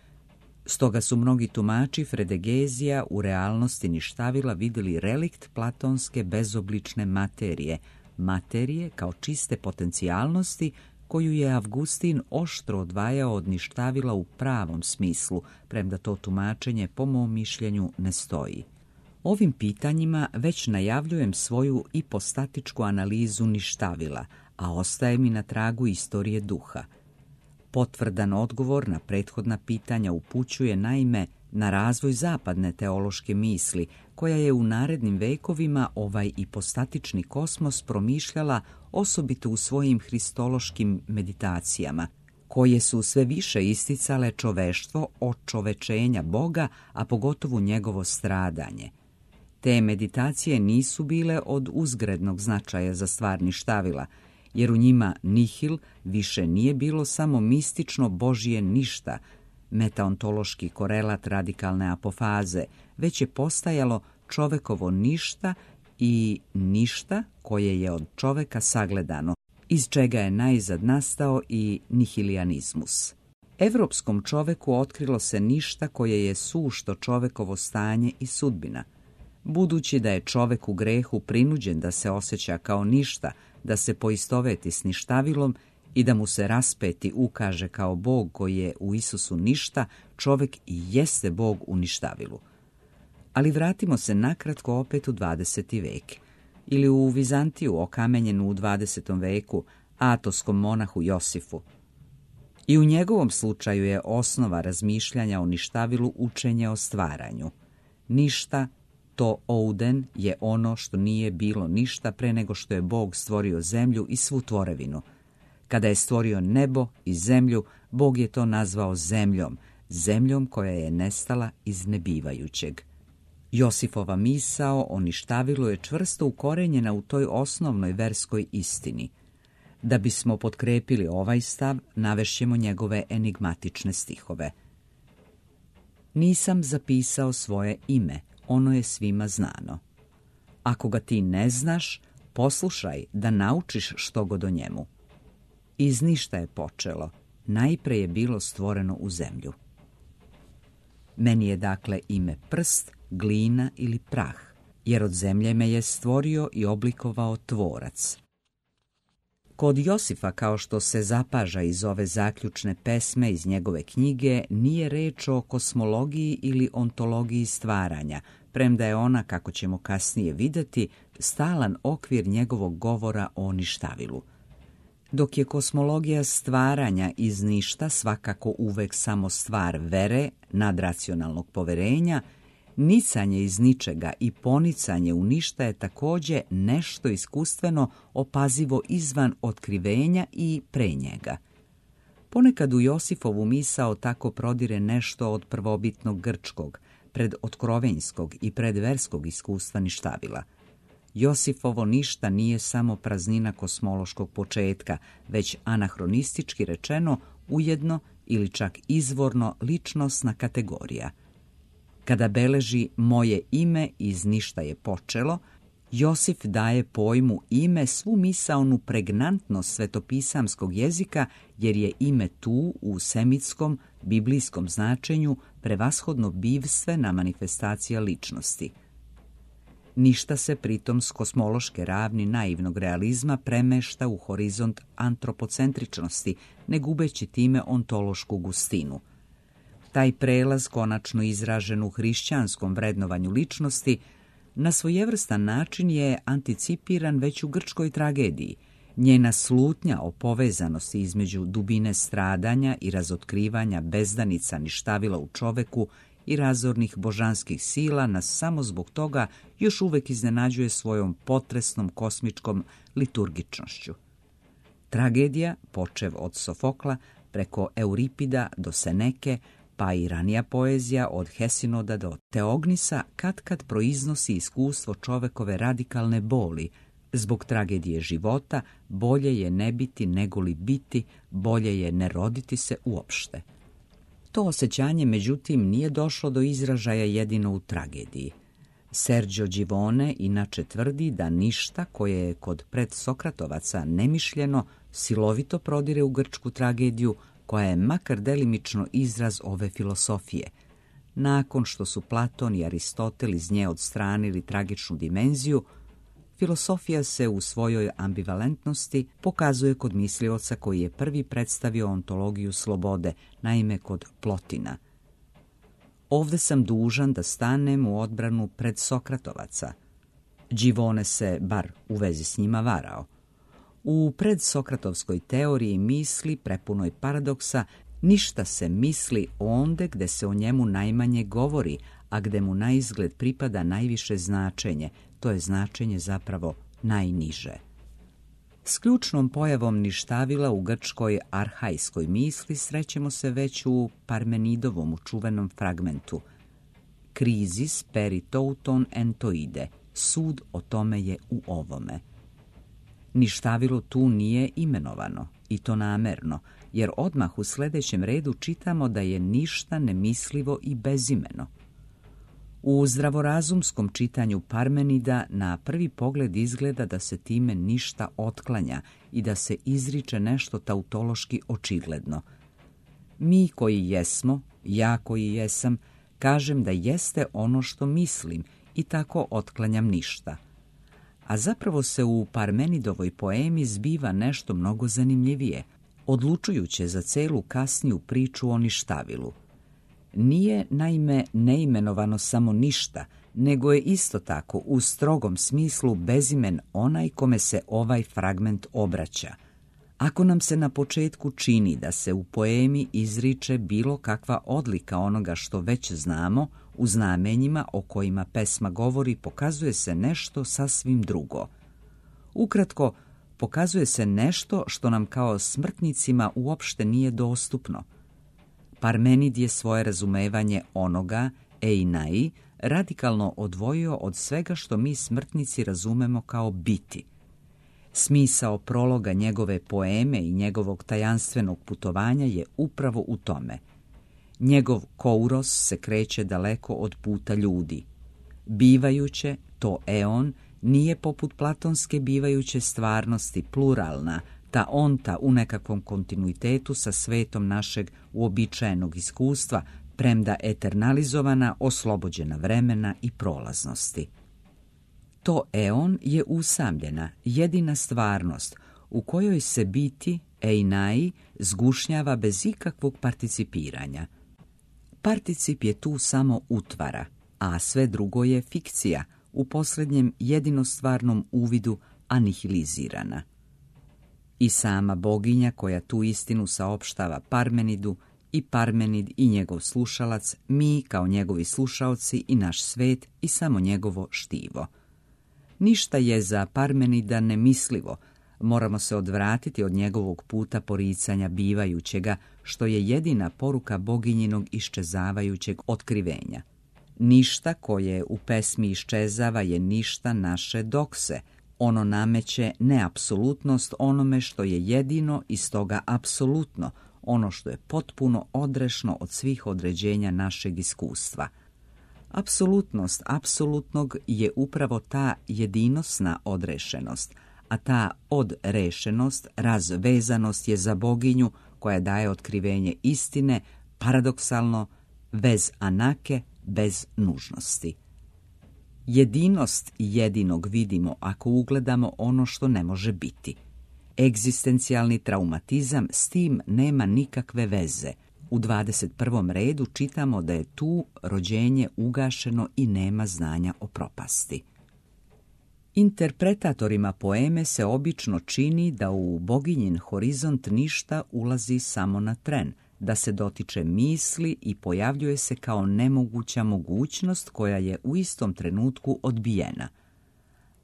Stoga su mnogi tumači Fredegezija u realnosti ništavila vidjeli relikt platonske bezoblične materije, materije kao čiste potencijalnosti koju je Avgustin oštro odvajao od ništavila u pravom smislu, premda to tumačenje po mom mišljenju ne stoji. Ovim pitanjima već najavljujem svoju ipostatičku analizu ništavila, a ostaje mi na tragu istorije duha. Potvrdan odgovor na prethodna pitanja upućuje naime na razvoj zapadne teološke misli, koja je u narednim vekovima ovaj ipostatični kosmos promišljala osobito u svojim hristološkim meditacijama, koje su sve više isticale čoveštvo od čovečenja Boga, a pogotovo njegovo stradanje. Te meditacije nisu bile od uzgrednog značaja za stvar ništavila, jer u njima nihil više nije bilo samo mistično Božje ništa, metaontološki korelat radikalne apofaze, već je postajalo čovekovo ništa i ništa koje je od čoveka sagledano, iz čega je najzad nastao i nihilijanizmus. Evropskom čoveku otkrilo se ništa koje je sušto čovekovo stanje i sudbina. Budući da je čovek u grehu prinuđen da se osjeća kao ništa, da se poistoveti s ništavilom i da mu se raspeti ukaže kao Bog koji je u Isusu ništa, čovek i jeste Bog u ništavilu. Ali vratimo se nakratko opet u dvadeseti vek, ili u Vizantiju okamenjenu u dvadesetom veku atoskom monahu Josifu. I u njegovom slučaju je osnova razmišljanja o ništavilu učenje o stvaranju. Ništa, to ouden, je ono što nije bilo ništa pre nego što je Bog stvorio zemlju i svu tvorevinu. Kada je stvorio nebo i zemlju, Bog je to nazvao zemljom, zemljom koja je nestala iz nebivajućeg. Josifova misao o ništavilu je čvrsto ukorenjena u toj osnovnoj verskoj istini. Da bismo potkrepili ovaj stav, navešćemo njegove enigmatične stihove. Nisam zapisao svoje ime, ono je svima znano. Ako ga ti ne znaš, poslušaj da naučiš što god o njemu. Iz ništa je počelo, najpre je bilo stvoreno u zemlju. Meni je dakle ime prst, glina ili prah, jer od zemlje me je stvorio i oblikovao tvorac. Kod Josifa, kao što se zapaža iz ove zaključne pesme iz njegove knjige, nije reč o kosmologiji ili ontologiji stvaranja, premda je ona, kako ćemo kasnije vidjeti, stalan okvir njegovog govora o ništavilu. Dok je kosmologija stvaranja iz ništa svakako uvek samo stvar vere, nadracionalnog poverenja, Nicanje iz ničega i ponicanje u ništa je također nešto iskustveno opazivo izvan otkrivenja i pre njega. Ponekad u Josifovu misao tako prodire nešto od prvobitnog grčkog, predotkrovenjskog i predverskog iskustva ništavila. Josifovo ništa nije samo praznina kosmološkog početka, već anahronistički rečeno ujedno ili čak izvorno ličnosna kategorija. Kada beleži moje ime iz ništa je počelo, Josif daje pojmu ime svu misaonu pregnantnost svetopisamskog jezika, jer je ime tu u semitskom, biblijskom značenju prevashodno bivstvena manifestacija ličnosti. Ništa se pritom s kosmološke ravni naivnog realizma premešta u horizont antropocentričnosti, ne gubeći time ontološku gustinu. Taj prelaz, konačno izražen u hrišćanskom vrednovanju ličnosti, na svojevrstan način je anticipiran već u grčkoj tragediji. Njena slutnja o povezanosti između dubine stradanja i razotkrivanja bezdanica ništavila u čoveku i razornih božanskih sila nas samo zbog toga još uvek iznenađuje svojom potresnom kosmičkom liturgičnošću. Tragedija, počev od Sofokla, preko Euripida do Seneke, pa i ranija poezija od Hesinoda do Teognisa katkad proiznosi iskustvo čovekove radikalne boli. Zbog tragedije života bolje je ne biti nego li biti, bolje je ne roditi se uopšte. To osjećanje, međutim, nije došlo do izražaja jedino u tragediji. Sergio Givone inače tvrdi da ništa koje je kod predsokratovaca nemišljeno silovito prodire u grčku tragediju, koja je makar delimično izraz ove filosofije. Nakon što su Platon i Aristotel iz nje odstranili tragičnu dimenziju, filosofija se u svojoj ambivalentnosti pokazuje kod mislioca koji je prvi predstavio ontologiju slobode, naime kod Plotina. Ovde sam dužan da stanem u odbranu predsokratovaca. Givone se, bar u vezi s njima, varao. U predsokratovskoj teoriji misli, prepunoj paradoksa, ništa se misli onde gde se o njemu najmanje govori, a gde mu naizgled pripada najviše značenje, to je značenje zapravo najniže. S ključnom pojavom ništavila u grčkoj arhajskoj misli srećemo se već u Parmenidovom čuvenom fragmentu Krizis peritouton entoide, sud o tome je u ovome. Ništavilo tu nije imenovano, i to namerno, jer odmah u sljedećem redu čitamo da je ništa nemislivo i bezimeno. U zdravorazumskom čitanju Parmenida na prvi pogled izgleda da se time ništa otklanja i da se izriče nešto tautološki očigledno. Mi koji jesmo, ja koji jesam, kažem da jeste ono što mislim i tako otklanjam ništa. A zapravo se u Parmenidovoj poemi zbiva nešto mnogo zanimljivije, odlučujuće za celu kasniju priču o ništavilu. Nije, naime, neimenovano samo ništa, nego je isto tako u strogom smislu bezimen onaj kome se ovaj fragment obraća. Ako nam se na početku čini da se u poemi izriče bilo kakva odlika onoga što već znamo, u znamenjima o kojima pesma govori pokazuje se nešto sasvim drugo. Ukratko, pokazuje se nešto što nam kao smrtnicima uopšte nije dostupno. Parmenid je svoje razumevanje onoga, einai, radikalno odvojio od svega što mi smrtnici razumemo kao biti. Smisao prologa njegove poeme i njegovog tajanstvenog putovanja je upravo u tome. Njegov kouros se kreće daleko od puta ljudi. Bivajuće, to eon, nije poput platonske bivajuće stvarnosti pluralna, ta onta u nekakvom kontinuitetu sa svetom našeg uobičajenog iskustva, premda eternalizovana, oslobođena vremena i prolaznosti. To eon je usamljena, jedina stvarnost, u kojoj se biti, einai, zgušnjava bez ikakvog participiranja. Particip je tu samo utvara, a sve drugo je fikcija, u posljednjem jedinostvarnom uvidu anihilizirana. I sama boginja koja tu istinu saopštava Parmenidu i Parmenid i njegov slušalac, mi kao njegovi slušaoci i naš svet i samo njegovo štivo. Ništa je za Parmenida nemislivo, moramo se odvratiti od njegovog puta poricanja bivajućega, što je jedina poruka boginjinog iščezavajućeg otkrivenja. Ništa koje u pesmi iščezava je ništa naše dokse. Ono nameće neapsolutnost onome što je jedino i stoga apsolutno, ono što je potpuno odrešno od svih određenja našeg iskustva. Apsolutnost apsolutnog je upravo ta jedinosna odrešenost, a ta odrešenost, razvezanost je za boginju koja daje otkrivenje istine, paradoksalno, bez anake, bez nužnosti. Jedinost jedinog vidimo ako ugledamo ono što ne može biti. Egzistencijalni traumatizam s tim nema nikakve veze. U dvadeset prvom redu čitamo da je tu rođenje ugašeno i nema znanja o propasti. Interpretatorima poeme se obično čini da u boginjin horizont ništa ulazi samo na tren, da se dotiče misli i pojavljuje se kao nemoguća mogućnost koja je u istom trenutku odbijena.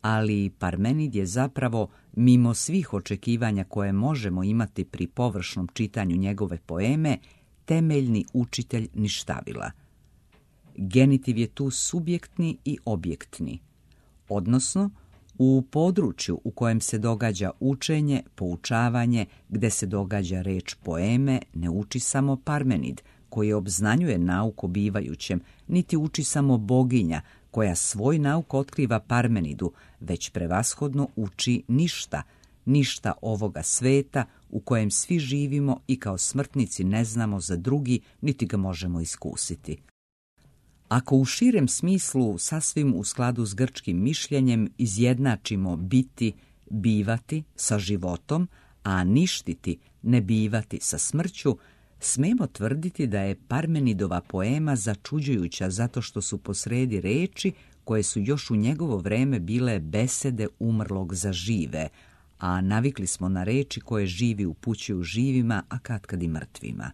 Ali Parmenid je zapravo, mimo svih očekivanja koje možemo imati pri površnom čitanju njegove poeme, temeljni učitelj ništavila. Genitiv je tu subjektni i objektni, odnosno u području u kojem se događa učenje, poučavanje, gde se događa reč poeme, ne uči samo Parmenid, koji obznanjuje nauku bivajućem, niti uči samo boginja, koja svoj nauk otkriva Parmenidu, već prevashodno uči ništa, ništa ovoga sveta u kojem svi živimo i kao smrtnici ne znamo za drugi, niti ga možemo iskusiti. Ako u širem smislu, sasvim u skladu s grčkim mišljenjem, izjednačimo biti, bivati sa životom, a ništiti, ne bivati sa smrću, smemo tvrditi da je Parmenidova poema začuđujuća zato što su posredi reči koje su još u njegovo vreme bile besede umrlog za žive, a navikli smo na reči koje živi upućuju živima, a katkad i mrtvima.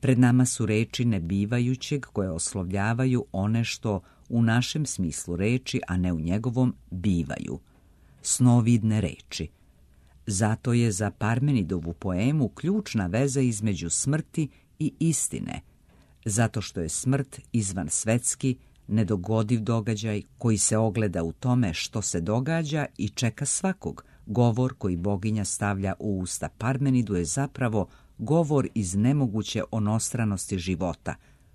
Pred nama su reči nebivajućeg koje oslovljavaju one što u našem smislu reči, a ne u njegovom, bivaju. Snovidne reči. Zato je za Parmenidovu poemu ključna veza između smrti i istine, zato što je smrt izvansvetski, nedogodiv događaj koji se ogleda u tome što se događa i čeka svakog. Govor koji boginja stavlja u usta Parmenidu je zapravo govor iz nemoguće onostranosti života,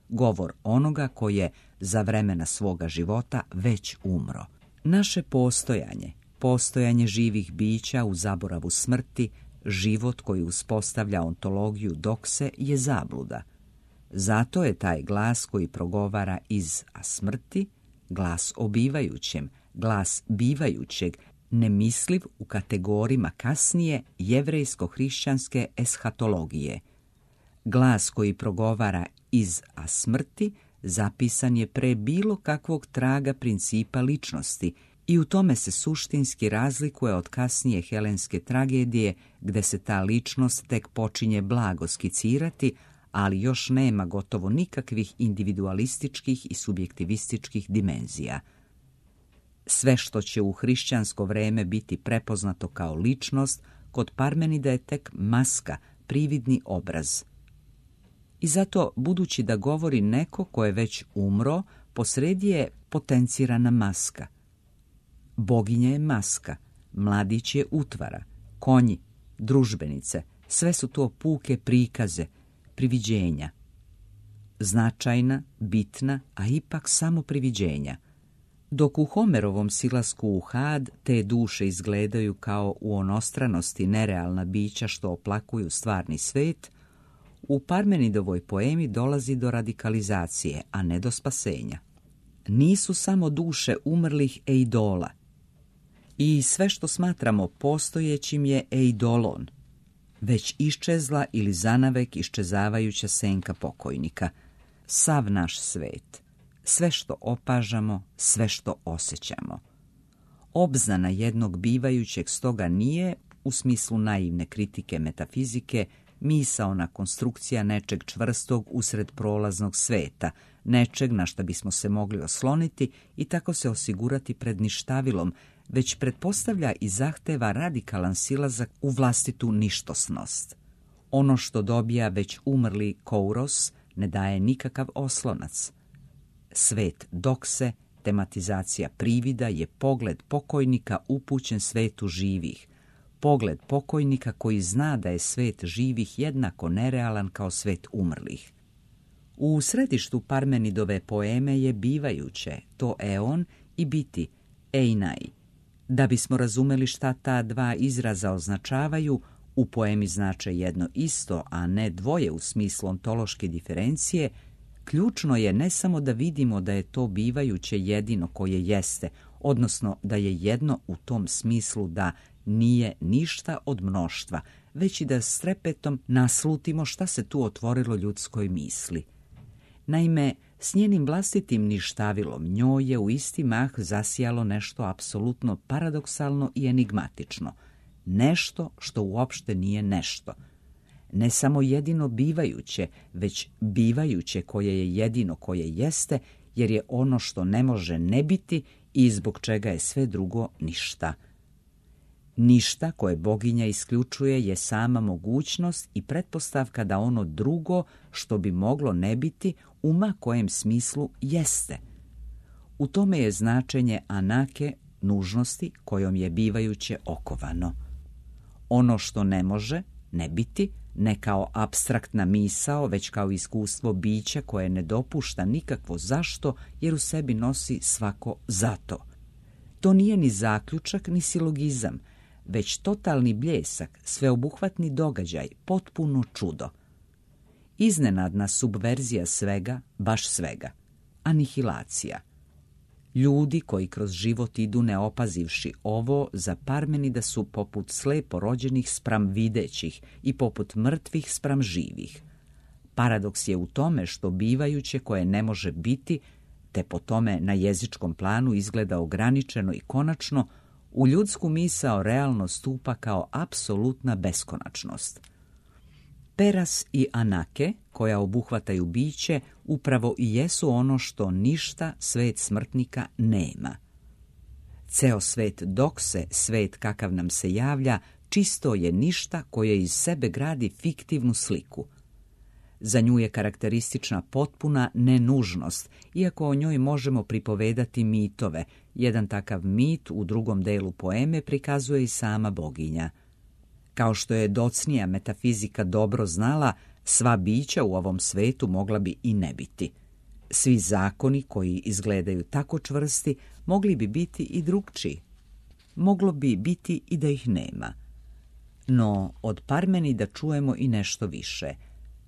govor onoga koji je za vremena svoga života već umro. Naše postojanje, postojanje živih bića u zaboravu smrti, život koji uspostavlja ontologiju dokse je zabluda. Zato je taj glas koji progovara iz a smrti, glas o bivajućem, glas bivajućeg, nemisliv u kategorijama kasnije jevrejsko-hrišćanske eshatologije. Glas koji progovara iz a smrti zapisan je pre bilo kakvog traga principa ličnosti i u tome se suštinski razlikuje od kasnije helenske tragedije gde se ta ličnost tek počinje blago skicirati, ali još nema gotovo nikakvih individualističkih i subjektivističkih dimenzija. Sve što će u hrišćansko vreme biti prepoznato kao ličnost, kod Parmenida je tek maska, prividni obraz. I zato, budući da govori neko ko je već umro, posredi je potencirana maska. Boginja je maska, mladić je utvara, konji, družbenice, sve su to puke prikaze, priviđenja. Značajna, bitna, a ipak samo priviđenja. Dok u Homerovom silasku u Had te duše izgledaju kao u onostranosti nerealna bića što oplakuju stvarni svet, u Parmenidovoj poemi dolazi do radikalizacije, a ne do spasenja. Nisu samo duše umrlih eidola. I sve što smatramo postojećim je eidolon, već iščezla ili zanavek iščezavajuća senka pokojnika. Sav naš svet, sve što opažamo, sve što osjećamo. Obznana jednog bivajućeg stoga nije, u smislu naivne kritike metafizike, misaona konstrukcija nečeg čvrstog usred prolaznog sveta, nečeg na šta bismo se mogli osloniti i tako se osigurati pred ništavilom, već pretpostavlja i zahteva radikalan silazak u vlastitu ništosnost. Ono što dobija već umrli Kouros ne daje nikakav oslonac. Svet dokse, tematizacija privida, je pogled pokojnika upućen svetu živih. Pogled pokojnika koji zna da je svet živih jednako nerealan kao svet umrlih. U središtu Parmenidove poeme je bivajuće, to eon, i biti, einai. Da bismo razumeli šta ta dva izraza označavaju, u poemi znače jedno isto, a ne dvoje u smislu ontološke diferencije, ključno je ne samo da vidimo da je to bivajuće jedino koje jeste, odnosno da je jedno u tom smislu da nije ništa od mnoštva, već i da s trepetom naslutimo šta se tu otvorilo ljudskoj misli. Naime, s njenim vlastitim ništavilom njoj je u isti mah zasijalo nešto apsolutno paradoksalno i enigmatično, nešto što uopšte nije nešto. Ne samo jedino bivajuće, već bivajuće koje je jedino koje jeste, jer je ono što ne može ne biti i zbog čega je sve drugo ništa. Ništa koje boginja isključuje je sama mogućnost i pretpostavka da ono drugo što bi moglo ne biti u ma kojem smislu jeste. U tome je značenje anake nužnosti kojom je bivajuće okovano. Ono što ne može ne biti, ne kao apstraktna misao, već kao iskustvo bića koje ne dopušta nikakvo zašto, jer u sebi nosi svako zato. To nije ni zaključak, ni silogizam, već totalni bljesak, sveobuhvatni događaj, potpuno čudo. Iznenadna subverzija svega, baš svega. Anihilacija. Ljudi koji kroz život idu ne opazivši ovo, za Parmenida su poput slepo rođenih spram videćih i poput mrtvih spram živih. Paradoks je u tome što bivajuće koje ne može biti, te po tome na jezičkom planu izgleda ograničeno i konačno, u ljudsku misao realno stupa kao apsolutna beskonačnost. Peras i anake, koja obuhvataju biće, upravo i jesu ono što ništa svet smrtnika nema. Ceo svet dokse, svet kakav nam se javlja, čisto je ništa koje iz sebe gradi fiktivnu sliku. Za nju je karakteristična potpuna nenužnost, iako o njoj možemo pripovedati mitove. Jedan takav mit u drugom delu poeme prikazuje i sama boginja. Kao što je docnija metafizika dobro znala, sva bića u ovom svetu mogla bi i ne biti. Svi zakoni koji izgledaju tako čvrsti mogli bi biti i drugčiji. Moglo bi biti i da ih nema. No, od Parmenida čujemo i nešto više.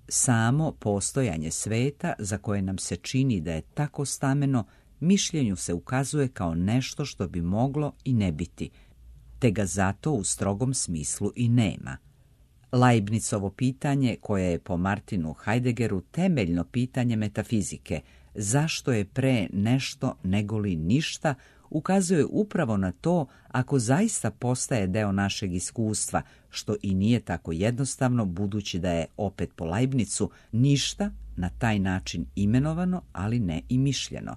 Samo postojanje sveta, za koje nam se čini da je tako stameno, mišljenju se ukazuje kao nešto što bi moglo i ne biti, te ga zato u strogom smislu i nema. Leibnicovo pitanje, koje je po Martinu Heideggeru temeljno pitanje metafizike, zašto je pre nešto negoli ništa, ukazuje upravo na to ako zaista postaje deo našeg iskustva, što i nije tako jednostavno, budući da je, opet po Leibnicu, ništa na taj način imenovano, ali ne i mišljeno.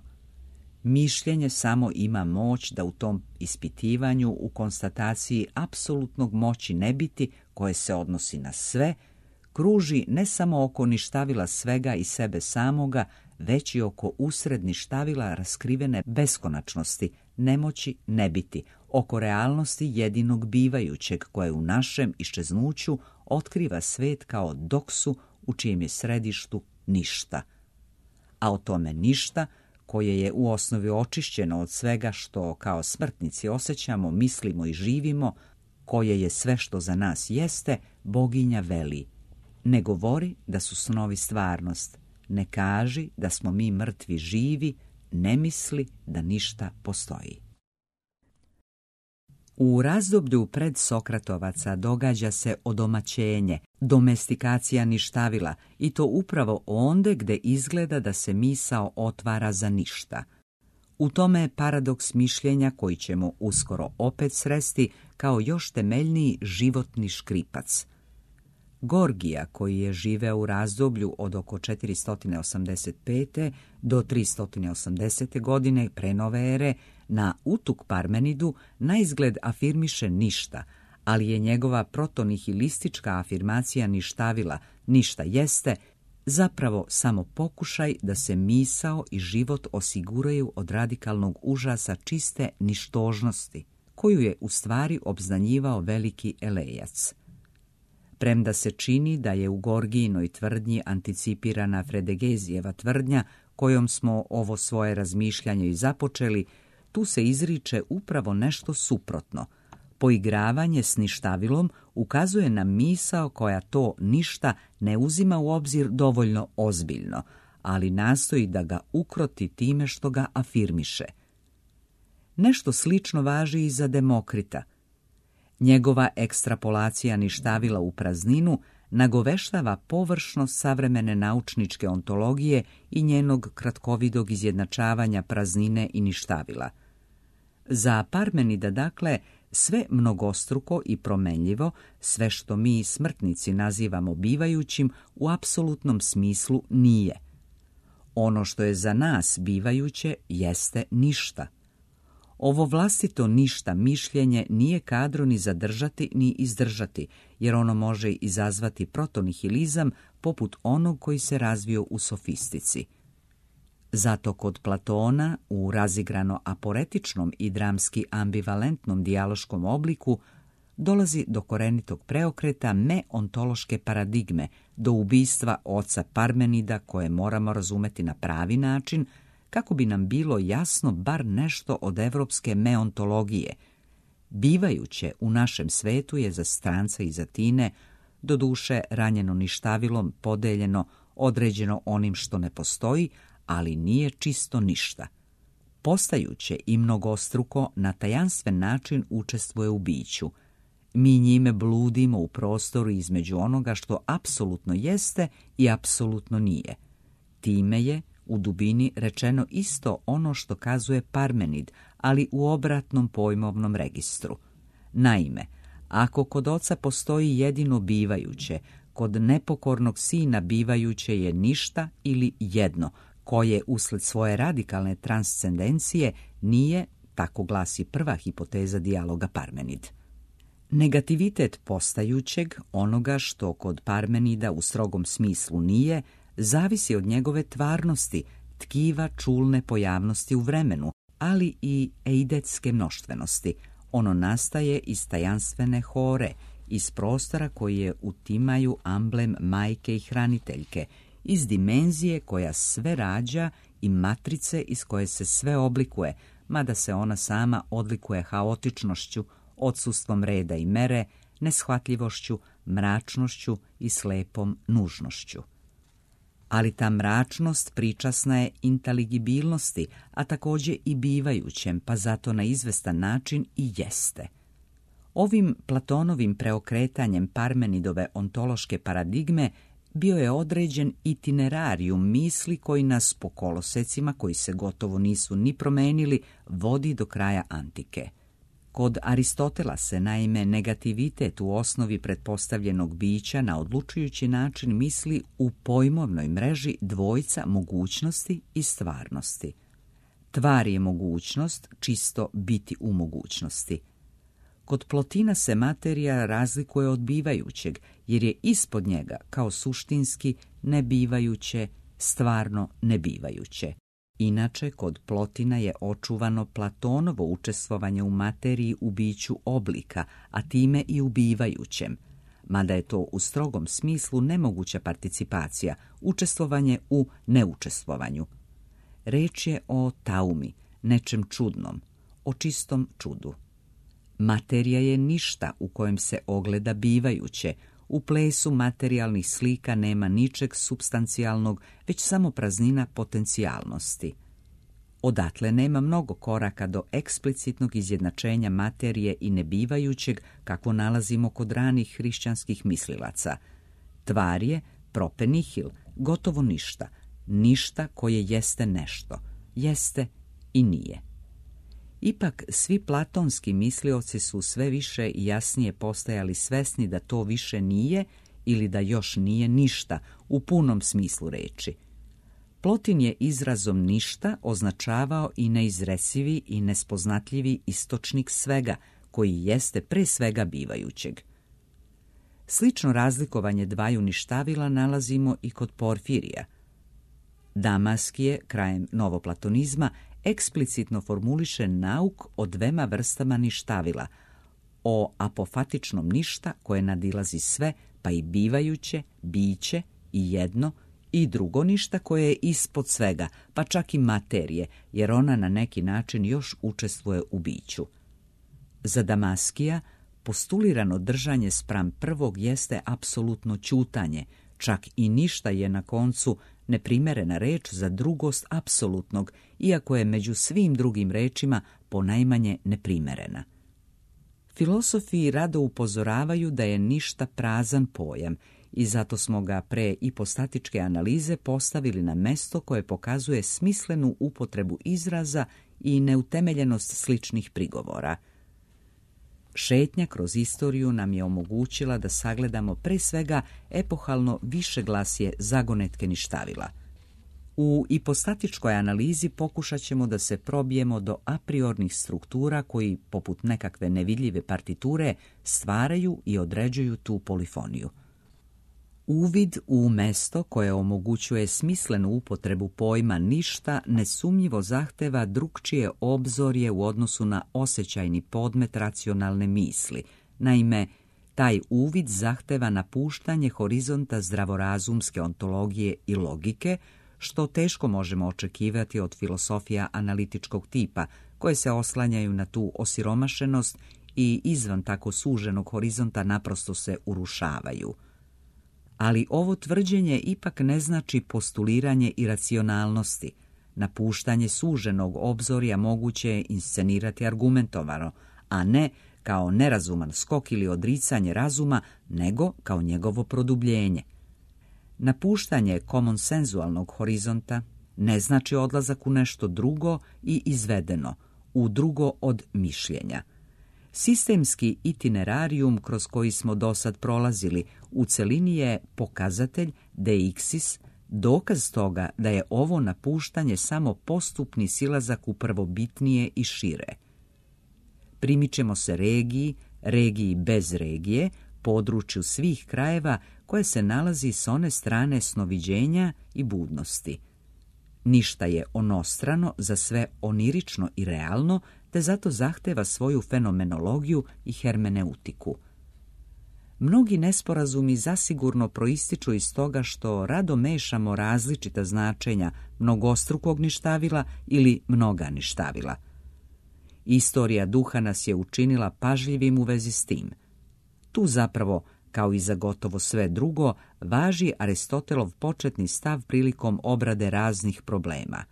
Mišljenje samo ima moć da u tom ispitivanju, u konstataciji apsolutnog moći ne biti, koje se odnosi na sve, kruži ne samo oko ništavila svega i sebe samoga, već i oko usred ništavila raskrivene beskonačnosti, nemoći ne biti, oko realnosti jedinog bivajućeg koje u našem iščeznuću otkriva svet kao doksu u čijem je središtu ništa. A o tome ništa, koje je u osnovi očišćeno od svega što kao smrtnici osjećamo, mislimo i živimo, koje je sve što za nas jeste, boginja veli: ne govori da su snovi stvarnost, ne kaži da smo mi mrtvi živi, ne misli da ništa postoji. U razdoblju pred Sokratovaca događa se odomaćenje, domestikacija ništavila, i to upravo onde gde izgleda da se misao otvara za ništa. U tome je paradoks mišljenja koji ćemo uskoro opet sresti kao još temeljniji životni škripac. Gorgija, koji je živeo u razdoblju od oko četiristo osamdeset pete do tristo osamdesete godine pre nove ere, na Utuk Parmenidu naizgled afirmiše ništa, ali je njegova protonihilistička afirmacija ništavila, ništa jeste, zapravo samo pokušaj da se misao i život osiguraju od radikalnog užasa čiste ništožnosti, koju je u stvari obznanjivao veliki Elejac. Premda se čini da je u Gorgijinoj tvrdnji anticipirana Fredegezijeva tvrdnja, kojom smo ovo svoje razmišljanje i započeli, tu se izriče upravo nešto suprotno. Poigravanje s ništavilom ukazuje na misao koja to ništa ne uzima u obzir dovoljno ozbiljno, ali nastoji da ga ukroti time što ga afirmiše. Nešto slično važi i za Demokrita. Njegova ekstrapolacija ništavila u prazninu nagoveštava površnost savremene naučničke ontologije i njenog kratkovidog izjednačavanja praznine i ništavila. Za Parmenida, dakle, sve mnogostruko i promenljivo, sve što mi smrtnici nazivamo bivajućim, u apsolutnom smislu nije. Ono što je za nas bivajuće jeste ništa. Ovo vlastito ništa mišljenje nije kadro ni zadržati ni izdržati, jer ono može izazvati protonihilizam poput onog koji se razvio u sofistici. Zato kod Platona, u razigrano aporetičnom i dramski ambivalentnom dijaloškom obliku, dolazi do korenitog preokreta meontološke paradigme, do ubistva oca Parmenida, koje moramo razumeti na pravi način, kako bi nam bilo jasno bar nešto od evropske meontologije. Bivajuće u našem svetu je za stranca iz Atine, doduše ranjeno ništavilom, podeljeno, određeno onim što ne postoji, ali nije čisto ništa. Postajuće i mnogostruko na tajanstven način učestvuje u biću. Mi njime bludimo u prostoru između onoga što apsolutno jeste i apsolutno nije. Time je u dubini rečeno isto ono što kazuje Parmenid, ali u obratnom pojmovnom registru. Naime, ako kod oca postoji jedino bivajuće, kod nepokornog sina bivajuće je ništa ili jedno, koje usled svoje radikalne transcendencije nije, tako glasi prva hipoteza dijaloga Parmenid. Negativitet postajućeg, onoga što kod Parmenida u strogom smislu nije, zavisi od njegove tvarnosti, tkiva čulne pojavnosti u vremenu, ali i eidetske mnoštvenosti. Ono nastaje iz tajanstvene hore, iz prostora koji je utimaju amblem majke i hraniteljke, iz dimenzije koja sve rađa i matrice iz koje se sve oblikuje, mada se ona sama odlikuje haotičnošću, odsustvom reda i mere, neshvatljivošću, mračnošću i slepom nužnošću. Ali ta mračnost pričasna je inteligibilnosti, a također i bivajućem, pa zato na izvestan način i jeste. Ovim Platonovim preokretanjem Parmenidove ontološke paradigme bio je određen itinerarium misli koji nas po kolosecima, koji se gotovo nisu ni promenili, vodi do kraja antike. Kod Aristotela se naime negativitet u osnovi pretpostavljenog bića na odlučujući način misli u pojmovnoj mreži dvojca mogućnosti i stvarnosti. Tvar je mogućnost, čisto biti u mogućnosti. Kod Plotina se materija razlikuje od bivajućeg, jer je ispod njega kao suštinski nebivajuće, stvarno nebivajuće. Inače, kod Plotina je očuvano Platonovo učestvovanje u materiji u biću oblika, a time i u bivajućem, mada je to u strogom smislu nemoguća participacija, učestvovanje u neučestvovanju. Reč je o taumi, nečem čudnom, o čistom čudu. Materija je ništa u kojem se ogleda bivajuće. U plesu materijalnih slika nema ničeg supstancijalnog, već samo praznina potencijalnosti. Odatle nema mnogo koraka do eksplicitnog izjednačenja materije i nebivajućeg, kakvo nalazimo kod ranih hrišćanskih mislilaca. Tvar je prope nihil, gotovo ništa, ništa koje jeste nešto, jeste i nije. Ipak, svi platonski mislioci su sve više i jasnije postajali svesni da to više nije ili da još nije ništa u punom smislu reči. Plotin je izrazom ništa označavao i neizresivi i nespoznatljivi istočnik svega, koji jeste pre svega bivajućeg. Slično razlikovanje dvaju ništavila nalazimo i kod Porfirija. Damaskije, krajem novoplatonizma, eksplicitno formuliše nauk o dvema vrstama ništavila, o apofatičnom ništa koje nadilazi sve, pa i bivajuće, biće i jedno, i drugo ništa koje je ispod svega, pa čak i materije, jer ona na neki način još učestvuje u biću. Za Damaskija, postulirano držanje spram prvog jeste apsolutno ćutanje, čak i ništa je na koncu neprimerena reč za drugost apsolutnog, iako je među svim drugim rečima ponajmanje neprimerena. Filosofi rado upozoravaju da je ništa prazan pojam i zato smo ga pre ipostatičke analize postavili na mesto koje pokazuje smislenu upotrebu izraza i neutemeljenost sličnih prigovora. Šetnja kroz istoriju nam je omogućila da sagledamo pre svega epohalno višeglasje zagonetke ništavila. U ipostatičkoj analizi pokušat ćemo da se probijemo do apriornih struktura koji, poput nekakve nevidljive partiture, stvaraju i određuju tu polifoniju. Uvid u mesto koje omogućuje smislenu upotrebu pojma ništa nesumnjivo zahteva drukčije obzorje u odnosu na osjećajni podmet racionalne misli. Naime, taj uvid zahteva napuštanje horizonta zdravorazumske ontologije i logike, što teško možemo očekivati od filosofija analitičkog tipa, koje se oslanjaju na tu osiromašenost i izvan tako suženog horizonta naprosto se urušavaju. Ali ovo tvrđenje ipak ne znači postuliranje iracionalnosti. Napuštanje suženog obzorja moguće je inscenirati argumentovano, a ne kao nerazuman skok ili odricanje razuma, nego kao njegovo produbljenje. Napuštanje komonsenzualnog horizonta ne znači odlazak u nešto drugo i izvedeno, u drugo od mišljenja. Sistemski itinerarium kroz koji smo dosad prolazili u celini je pokazatelj deixis, dokaz toga da je ovo napuštanje samo postupni silazak u prvobitnije i šire. Primičemo se regiji, regiji bez regije, području svih krajeva koje se nalazi s one strane snoviđenja i budnosti. Ništa je onostrano za sve onirično i realno, te zato zahteva svoju fenomenologiju i hermeneutiku. Mnogi nesporazumi zasigurno proističu iz toga što rado mešamo različita značenja mnogostrukog ništavila ili mnoga ništavila. Istorija duha nas je učinila pažljivim u vezi s tim. Tu zapravo, kao i za gotovo sve drugo, važi Aristotelov početni stav prilikom obrade raznih problema.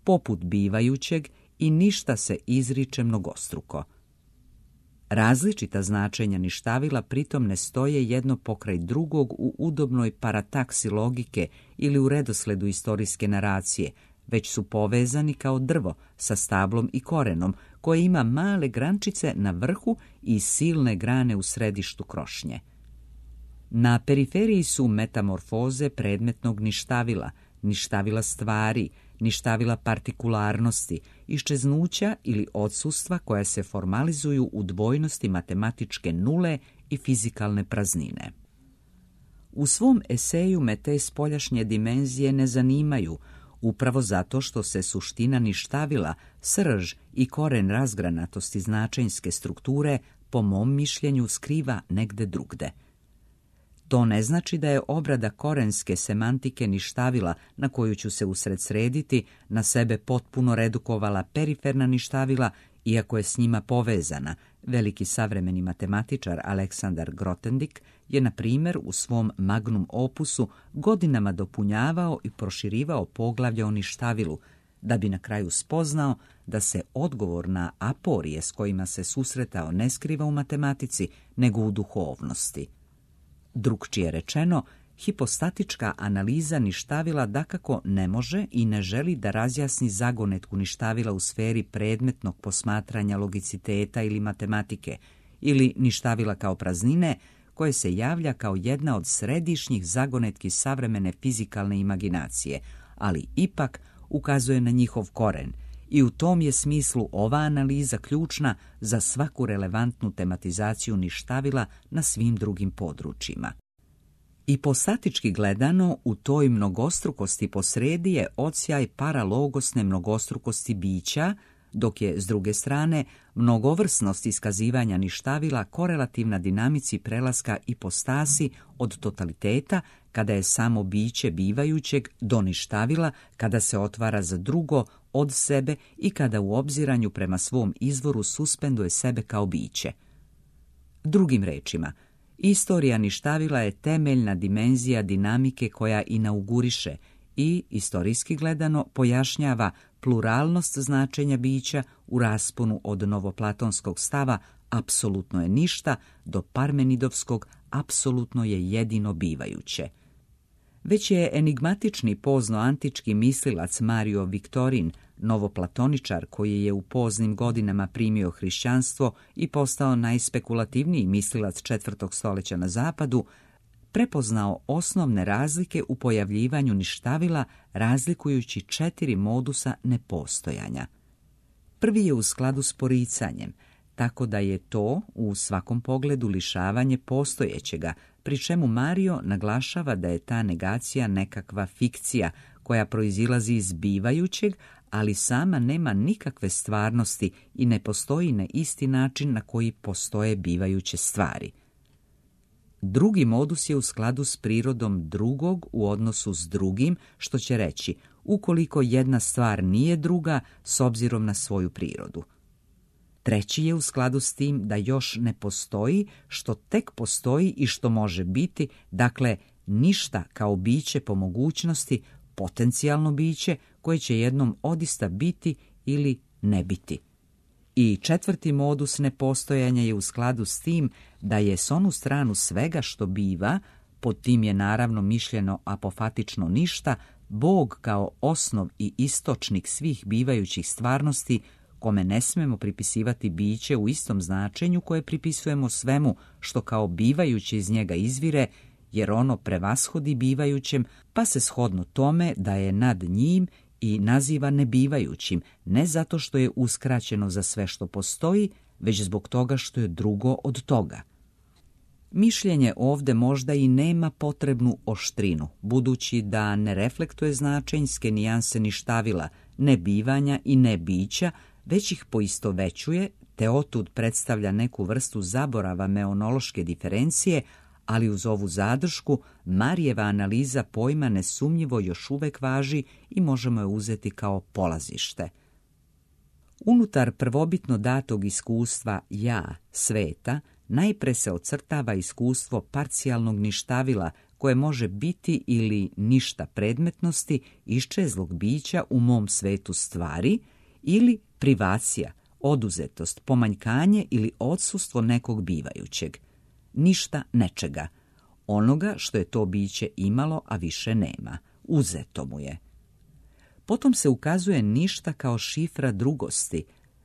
Poput bivajućeg i ništa se izriče mnogostruko. Različita značenja ništavila pritom ne stoje jedno pokraj drugog u udobnoj parataksi logike ili u redosledu istorijske naracije, već su povezani kao drvo sa stablom i korenom, koje ima male grančice na vrhu i silne grane u središtu krošnje. Na periferiji su metamorfoze predmetnog ništavila, ništavila stvari, ništavila partikularnosti, iščeznuća ili odsustva koja se formalizuju u dvojnosti matematičke nule i fizikalne praznine. U svom eseju me te spoljašnje dimenzije ne zanimaju, upravo zato što se suština ništavila, srž i koren razgranatosti značenjske strukture, po mom mišljenju, skriva negde drugde. To ne znači da je obrada korenske semantike ništavila, na koju ću se usredsrediti, na sebe potpuno redukovala periferna ništavila, iako je s njima povezana. Veliki savremeni matematičar Aleksandar Grothendieck je, na primjer, u svom magnum opusu godinama dopunjavao i proširivao poglavlje o ništavilu, da bi na kraju spoznao da se odgovor na aporije s kojima se susretao ne skriva u matematici, nego u duhovnosti. Drukčije rečeno, hipostatička analiza ništavila dakako ne može i ne želi da razjasni zagonetku ništavila u sferi predmetnog posmatranja logiciteta ili matematike, ili ništavila kao praznine koje se javlja kao jedna od središnjih zagonetki savremene fizikalne imaginacije, ali ipak ukazuje na njihov koren i u tom je smislu ova analiza ključna za svaku relevantnu tematizaciju ništavila na svim drugim područjima. Ipostatički gledano, u toj mnogostrukosti posredi je odsjaj paralogosne mnogostrukosti bića, dok je, s druge strane, mnogovrsnost iskazivanja ništavila korelativna dinamici prelaska ipostasi od totaliteta, kada je samo biće bivajućeg, do ništavila, kada se otvara za drugo od sebe i kada u obziranju prema svom izvoru suspenduje sebe kao biće. Drugim rečima, istorija ništavila je temeljna dimenzija dinamike koja inauguriše i, istorijski gledano, pojašnjava pluralnost značenja bića u rasponu od novoplatonskog stava apsolutno je ništa do parmenidovskog apsolutno je jedino bivajuće. Već je enigmatični pozno-antički mislilac Mario Victorin, novoplatoničar koji je u poznim godinama primio hrišćanstvo i postao najspekulativniji mislilac četvrtog stoljeća na zapadu, prepoznao osnovne razlike u pojavljivanju ništavila razlikujući četiri modusa nepostojanja. Prvi je u skladu s poricanjem, tako da je to u svakom pogledu lišavanje postojećega, pri čemu Mario naglašava da je ta negacija nekakva fikcija koja proizilazi iz bivajućeg, ali sama nema nikakve stvarnosti i ne postoji na isti način na koji postoje bivajuće stvari. Drugi modus je u skladu s prirodom drugog u odnosu s drugim, što će reći ukoliko jedna stvar nije druga s obzirom na svoju prirodu. Treći je u skladu s tim da još ne postoji, što tek postoji i što može biti, dakle ništa kao biće po mogućnosti, potencijalno biće koje će jednom odista biti ili ne biti. I četvrti modus nepostojanja je u skladu s tim da je s onu stranu svega što biva, pod tim je naravno mišljeno apofatično ništa, Bog kao osnov i istočnik svih bivajućih stvarnosti, kome ne smemo pripisivati biće u istom značenju koje pripisujemo svemu što kao bivajuće iz njega izvire, jer ono prevashodi bivajućem, pa se shodno tome da je nad njim i naziva nebivajućim, ne zato što je uskraćeno za sve što postoji, već zbog toga što je drugo od toga. Mišljenje ovdje možda i nema potrebnu oštrinu, budući da ne reflektuje značenjske nijanse ništavila, nebivanja i nebića, već ih poistovećuje, te otud predstavlja neku vrstu zaborava meonološke diferencije, ali uz ovu zadršku Marijeva analiza pojma nesumnjivo još uvek važi i možemo je uzeti kao polazište. Unutar prvobitno datog iskustva ja, sveta, najpre se ocrtava iskustvo parcijalnog ništavila koje može biti ili ništa predmetnosti iščezlog bića u mom svetu stvari ili privacija, oduzetost, pomanjkanje ili odsustvo nekog bivajućeg. Ništa nečega, onoga što je to biće imalo, a više nema, uzeto mu je. Potom se ukazuje ništa kao šifra drugosti.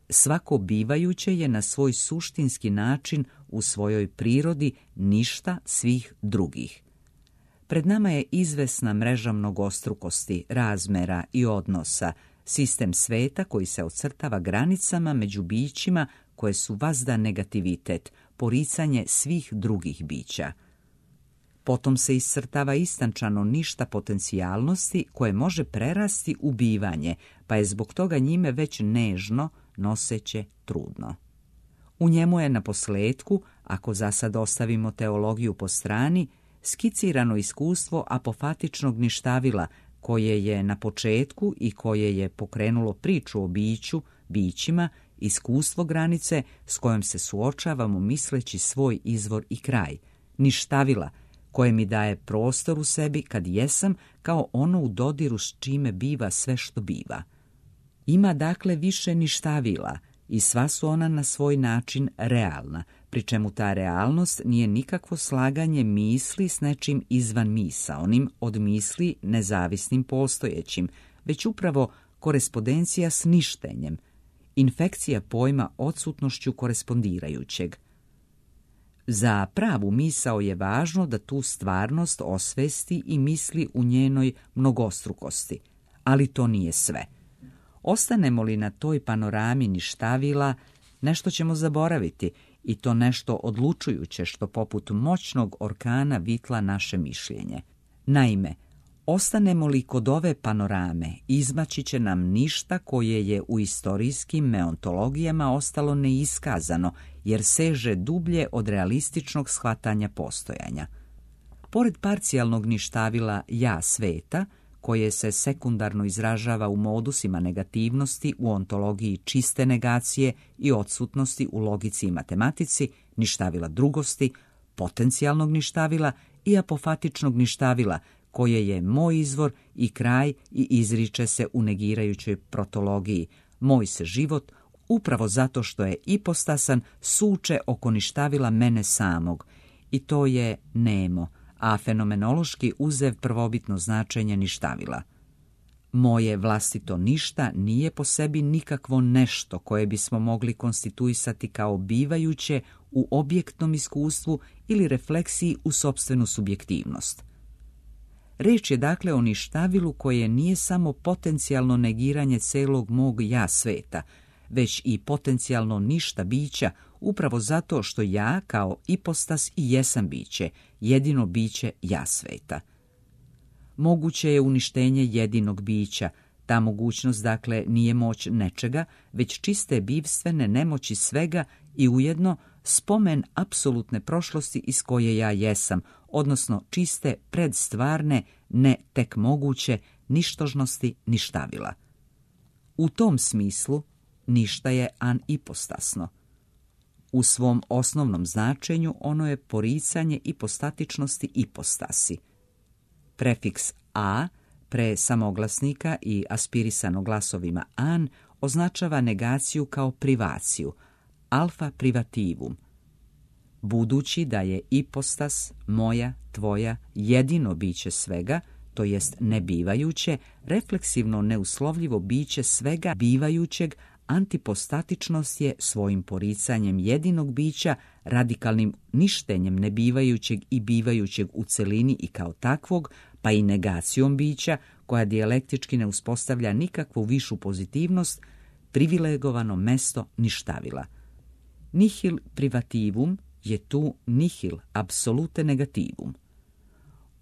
Svako bivajuće je na svoj suštinski način u svojoj prirodi ništa svih drugih. Pred nama je izvesna mreža mnogostrukosti, razmera i odnosa, sistem sveta koji se ocrtava granicama među bićima koje su vazda negativitet, poricanje svih drugih bića. Potom se iscrtava istančano ništa potencijalnosti koje može prerasti u bivanje, pa je zbog toga njime već nežno, noseće, trudno. U njemu je na posljetku, ako za sad ostavimo teologiju po strani, skicirano iskustvo apofatičnog ništavila koje je na početku i koje je pokrenulo priču o biću, bićima, iskustvo granice s kojom se suočavamo misleći svoj izvor i kraj, ništavila koje mi daje prostor u sebi kad jesam kao ono u dodiru s čime biva sve što biva. Ima dakle više ništavila i sva su ona na svoj način realna, pri čemu ta realnost nije nikakvo slaganje misli s nečim izvan misaonim od misli nezavisnim postojećim, već upravo korespondencija s ništenjem, infekcija pojma odsutnošću korespondirajućeg. Za pravu misao je važno da tu stvarnost osvesti i misli u njenoj mnogostrukosti, ali to nije sve. Ostanemo li na toj panorami ništavila, nešto ćemo zaboraviti, i to nešto odlučujuće što poput moćnog orkana vitla naše mišljenje. Naime, ostanemo li kod ove panorame, izmaći će nam ništa koje je u istorijskim meontologijama ostalo neiskazano, jer seže dublje od realističnog shvatanja postojanja. Pored parcijalnog ništavila ja sveta, koje se sekundarno izražava u modusima negativnosti u ontologiji čiste negacije i odsutnosti u logici i matematici, ništavila drugosti, potencijalnog ništavila i apofatičnog ništavila, koje je moj izvor i kraj i izriče se u negirajućoj protologiji. Moj se život, upravo zato što je ipostasan, suče oko ništavila mene samog. I to je nemo, a fenomenološki uzev prvobitno značenje ništavila. Moje vlastito ništa nije po sebi nikakvo nešto koje bismo mogli konstituisati kao bivajuće u objektnom iskustvu ili refleksiji u sopstvenu subjektivnost. Reč je dakle o ništavilu koje nije samo potencijalno negiranje celog mog ja sveta, već i potencijalno ništa bića, upravo zato što ja kao ipostas i jesam biće, jedino biće ja sveta. Moguće je uništenje jedinog bića. Ta mogućnost, dakle, nije moć nečega, već čiste bivstvene nemoći svega i ujedno spomen apsolutne prošlosti iz koje ja jesam, odnosno čiste predstvarne, ne tek moguće, ništožnosti ništavila. U tom smislu, ništa je anipostasno. U svom osnovnom značenju ono je poricanje ipostatičnosti ipostasi. Prefiks a pre samoglasnika i aspirisano glasovima an označava negaciju kao privaciju, alfa privativum. Budući da je ipostas, moja, tvoja, jedino biće svega, to jest nebivajuće, refleksivno neuslovljivo biće svega bivajućeg, antipostatičnost je svojim poricanjem jedinog bića, radikalnim ništenjem nebivajućeg i bivajućeg u celini i kao takvog, pa i negacijom bića, koja dijalektički ne uspostavlja nikakvu višu pozitivnost, privilegovano mesto ništavila. Nihil privativum je tu nihil apsolute negativum.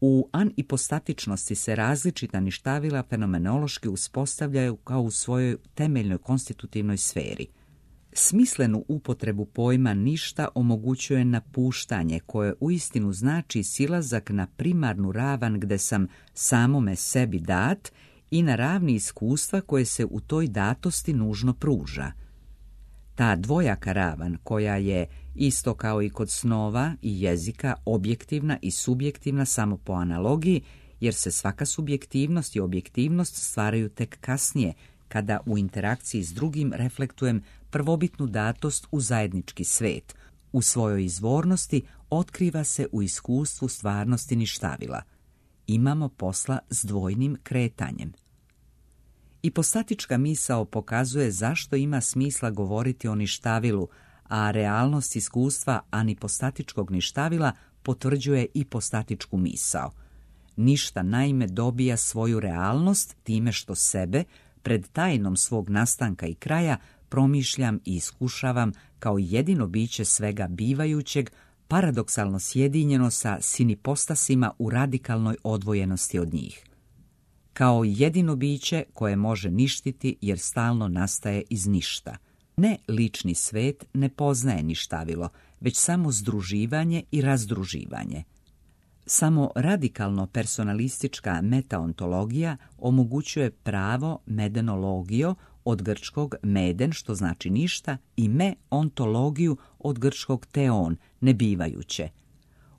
U anipostatičnosti se različita ništavila fenomenološki uspostavljaju kao u svojoj temeljnoj konstitutivnoj sferi. Smislenu upotrebu pojma ništa omogućuje napuštanje, koje uistinu znači silazak na primarnu ravan gde sam samome sebi dat i na ravni iskustva koje se u toj datosti nužno pruža. Ta dvojaka ravan, koja je, isto kao i kod snova i jezika, objektivna i subjektivna samo po analogiji, jer se svaka subjektivnost i objektivnost stvaraju tek kasnije, kada u interakciji s drugim reflektujem prvobitnu datost u zajednički svet. U svojoj izvornosti otkriva se u iskustvu stvarnosti ništavila. Imamo posla s dvojnim kretanjem. Ipostatička misao pokazuje zašto ima smisla govoriti o ništavilu, a realnost iskustva anipostatičkog ništavila potvrđuje ipostatičku misao. Ništa naime dobija svoju realnost time što sebe, pred tajnom svog nastanka i kraja, promišljam i iskušavam kao jedino biće svega bivajućeg, paradoksalno sjedinjeno sa sinipostasima u radikalnoj odvojenosti od njih. Kao jedino biće koje može ništiti jer stalno nastaje iz ništa. Ne lični svet ne poznaje ništavilo, već samo združivanje i razdruživanje. Samo radikalno personalistička metaontologija omogućuje pravo medenologio od grčkog meden, što znači ništa, i me-ontologiju od grčkog teon, nebivajuće.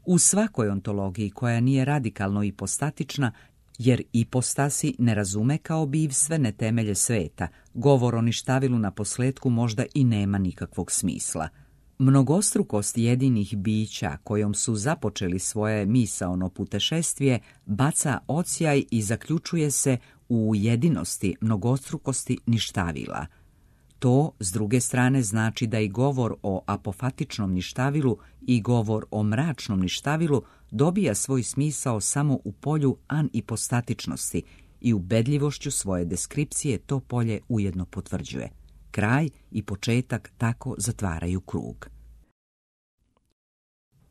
U svakoj ontologiji koja nije radikalno ipostatična, jer ipostasi ne razume kao bivstvene temelje sveta, govor o ništavilu na posljetku možda i nema nikakvog smisla. Mnogostrukost jedinih bića kojom su započeli svoje misaono putešestvije baca odsjaj i zaključuje se u jedinosti mnogostrukosti ništavila. To, s druge strane, znači da i govor o apofatičnom ništavilu i govor o mračnom ništavilu dobija svoj smisao samo u polju anipostatičnosti i ubedljivošću svoje deskripcije to polje ujedno potvrđuje. Kraj i početak tako zatvaraju krug.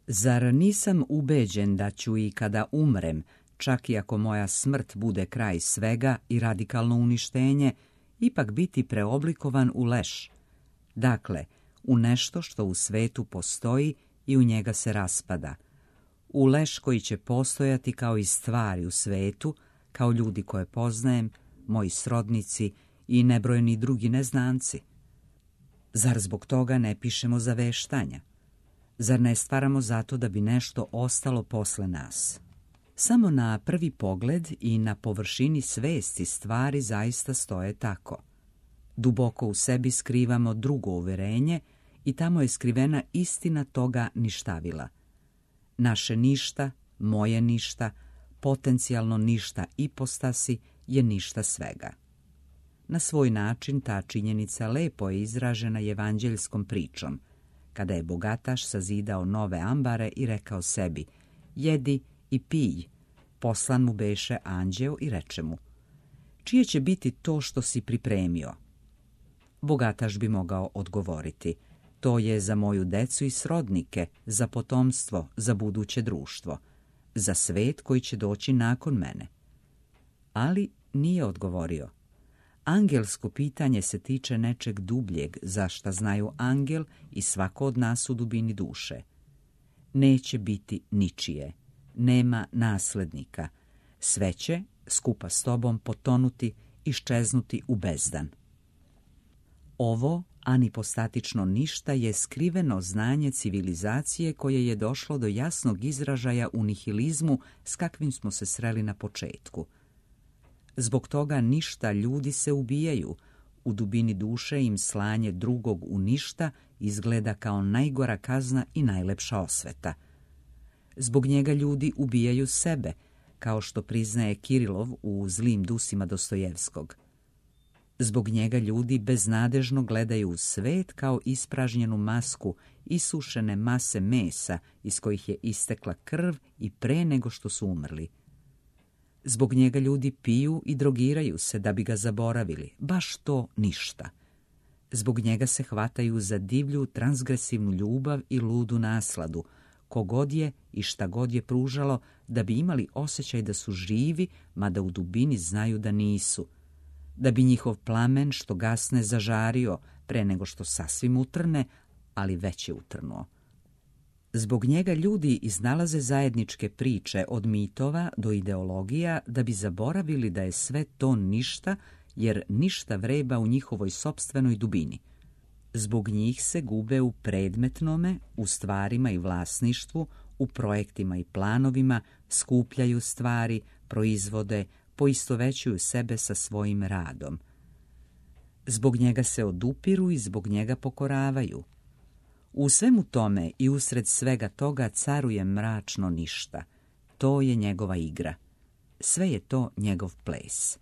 Zar nisam ubeđen da ću i kada umrem, čak i ako moja smrt bude kraj svega i radikalno uništenje, ipak biti preoblikovan u leš, dakle, u nešto što u svetu postoji i u njega se raspada, u leš koji će postojati kao i stvari u svetu, kao ljudi koje poznajem, moji srodnici i nebrojeni drugi neznanci. Zar zbog toga ne pišemo zaveštanja? Zar ne stvaramo zato da bi nešto ostalo posle nas? Samo na prvi pogled i na površini svesti stvari zaista stoje tako. Duboko u sebi skrivamo drugo uverenje i tamo je skrivena istina toga ništavila. Naše ništa, moje ništa, potencijalno ništa ipostasi je ništa svega. Na svoj način ta činjenica lepo je izražena evanđeljskom pričom, kada je bogataš sazidao nove ambare i rekao sebi: jedi i pij. Poslan mu beše anđeo i reče mu: čije će biti to što si pripremio? Bogataš bi mogao odgovoriti: to je za moju decu i srodnike, za potomstvo, za buduće društvo, za svet koji će doći nakon mene. Ali nije odgovorio. Angelsko pitanje se tiče nečeg dubljeg, za šta znaju angel i svako od nas u dubini duše. Neće biti ničije, nema naslednika, sve će, skupa s tobom, potonuti, iščeznuti u bezdan. Ovo anipostatično ništa je skriveno znanje civilizacije koje je došlo do jasnog izražaja u nihilizmu s kakvim smo se sreli na početku. Zbog toga ništa ljudi se ubijaju, u dubini duše im slanje drugog u ništa izgleda kao najgora kazna i najlepša osveta. Zbog njega ljudi ubijaju sebe, kao što priznaje Kirilov u Zlim dusima Dostojevskog. Zbog njega ljudi beznadežno gledaju u svet kao ispražnjenu masku isušene mase mesa iz kojih je istekla krv i pre nego što su umrli. Zbog njega ljudi piju i drogiraju se da bi ga zaboravili, baš to ništa. Zbog njega se hvataju za divlju transgresivnu ljubav i ludu nasladu, kogod je i šta god je pružalo da bi imali osjećaj da su živi, mada u dubini znaju da nisu, da bi njihov plamen što gasne zažario pre nego što sasvim utrne, ali već je utrnuo. Zbog njega ljudi iznalaze zajedničke priče od mitova do ideologija da bi zaboravili da je sve to ništa, jer ništa vreba u njihovoj sopstvenoj dubini. Zbog njih se gube u predmetnome, u stvarima i vlasništvu, u projektima i planovima, skupljaju stvari, proizvode, poistovećuju sebe sa svojim radom. Zbog njega se odupiru i zbog njega pokoravaju. U svemu tome i usred svega toga caruje mračno ništa. To je njegova igra. Sve je to njegov ples.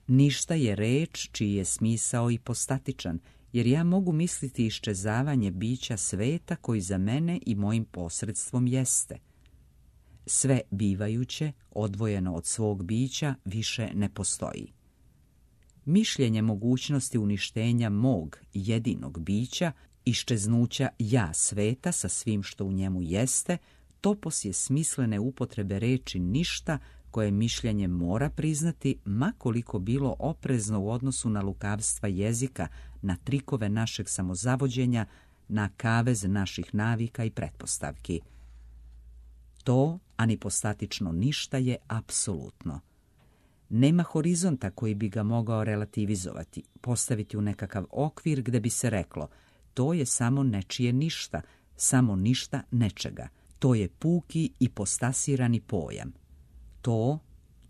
Ništa je reč čiji je smisao ipostatičan, jer ja mogu misliti iščezavanje bića sveta koji za mene i mojim posredstvom jeste. Sve bivajuće, odvojeno od svog bića, više ne postoji. Mišljenje mogućnosti uništenja mog jedinog bića, iščeznuća ja sveta sa svim što u njemu jeste, topos je smislene upotrebe reči ništa koje mišljenje mora priznati, ma koliko bilo oprezno u odnosu na lukavstva jezika, na trikove našeg samozavođenja, na kavez naših navika i pretpostavki. To anipostatično ništa je apsolutno. Nema horizonta koji bi ga mogao relativizovati, postaviti u nekakav okvir gde bi se reklo: to je samo nečije ništa, samo ništa nečega. To je puki ipostasirani pojam. To,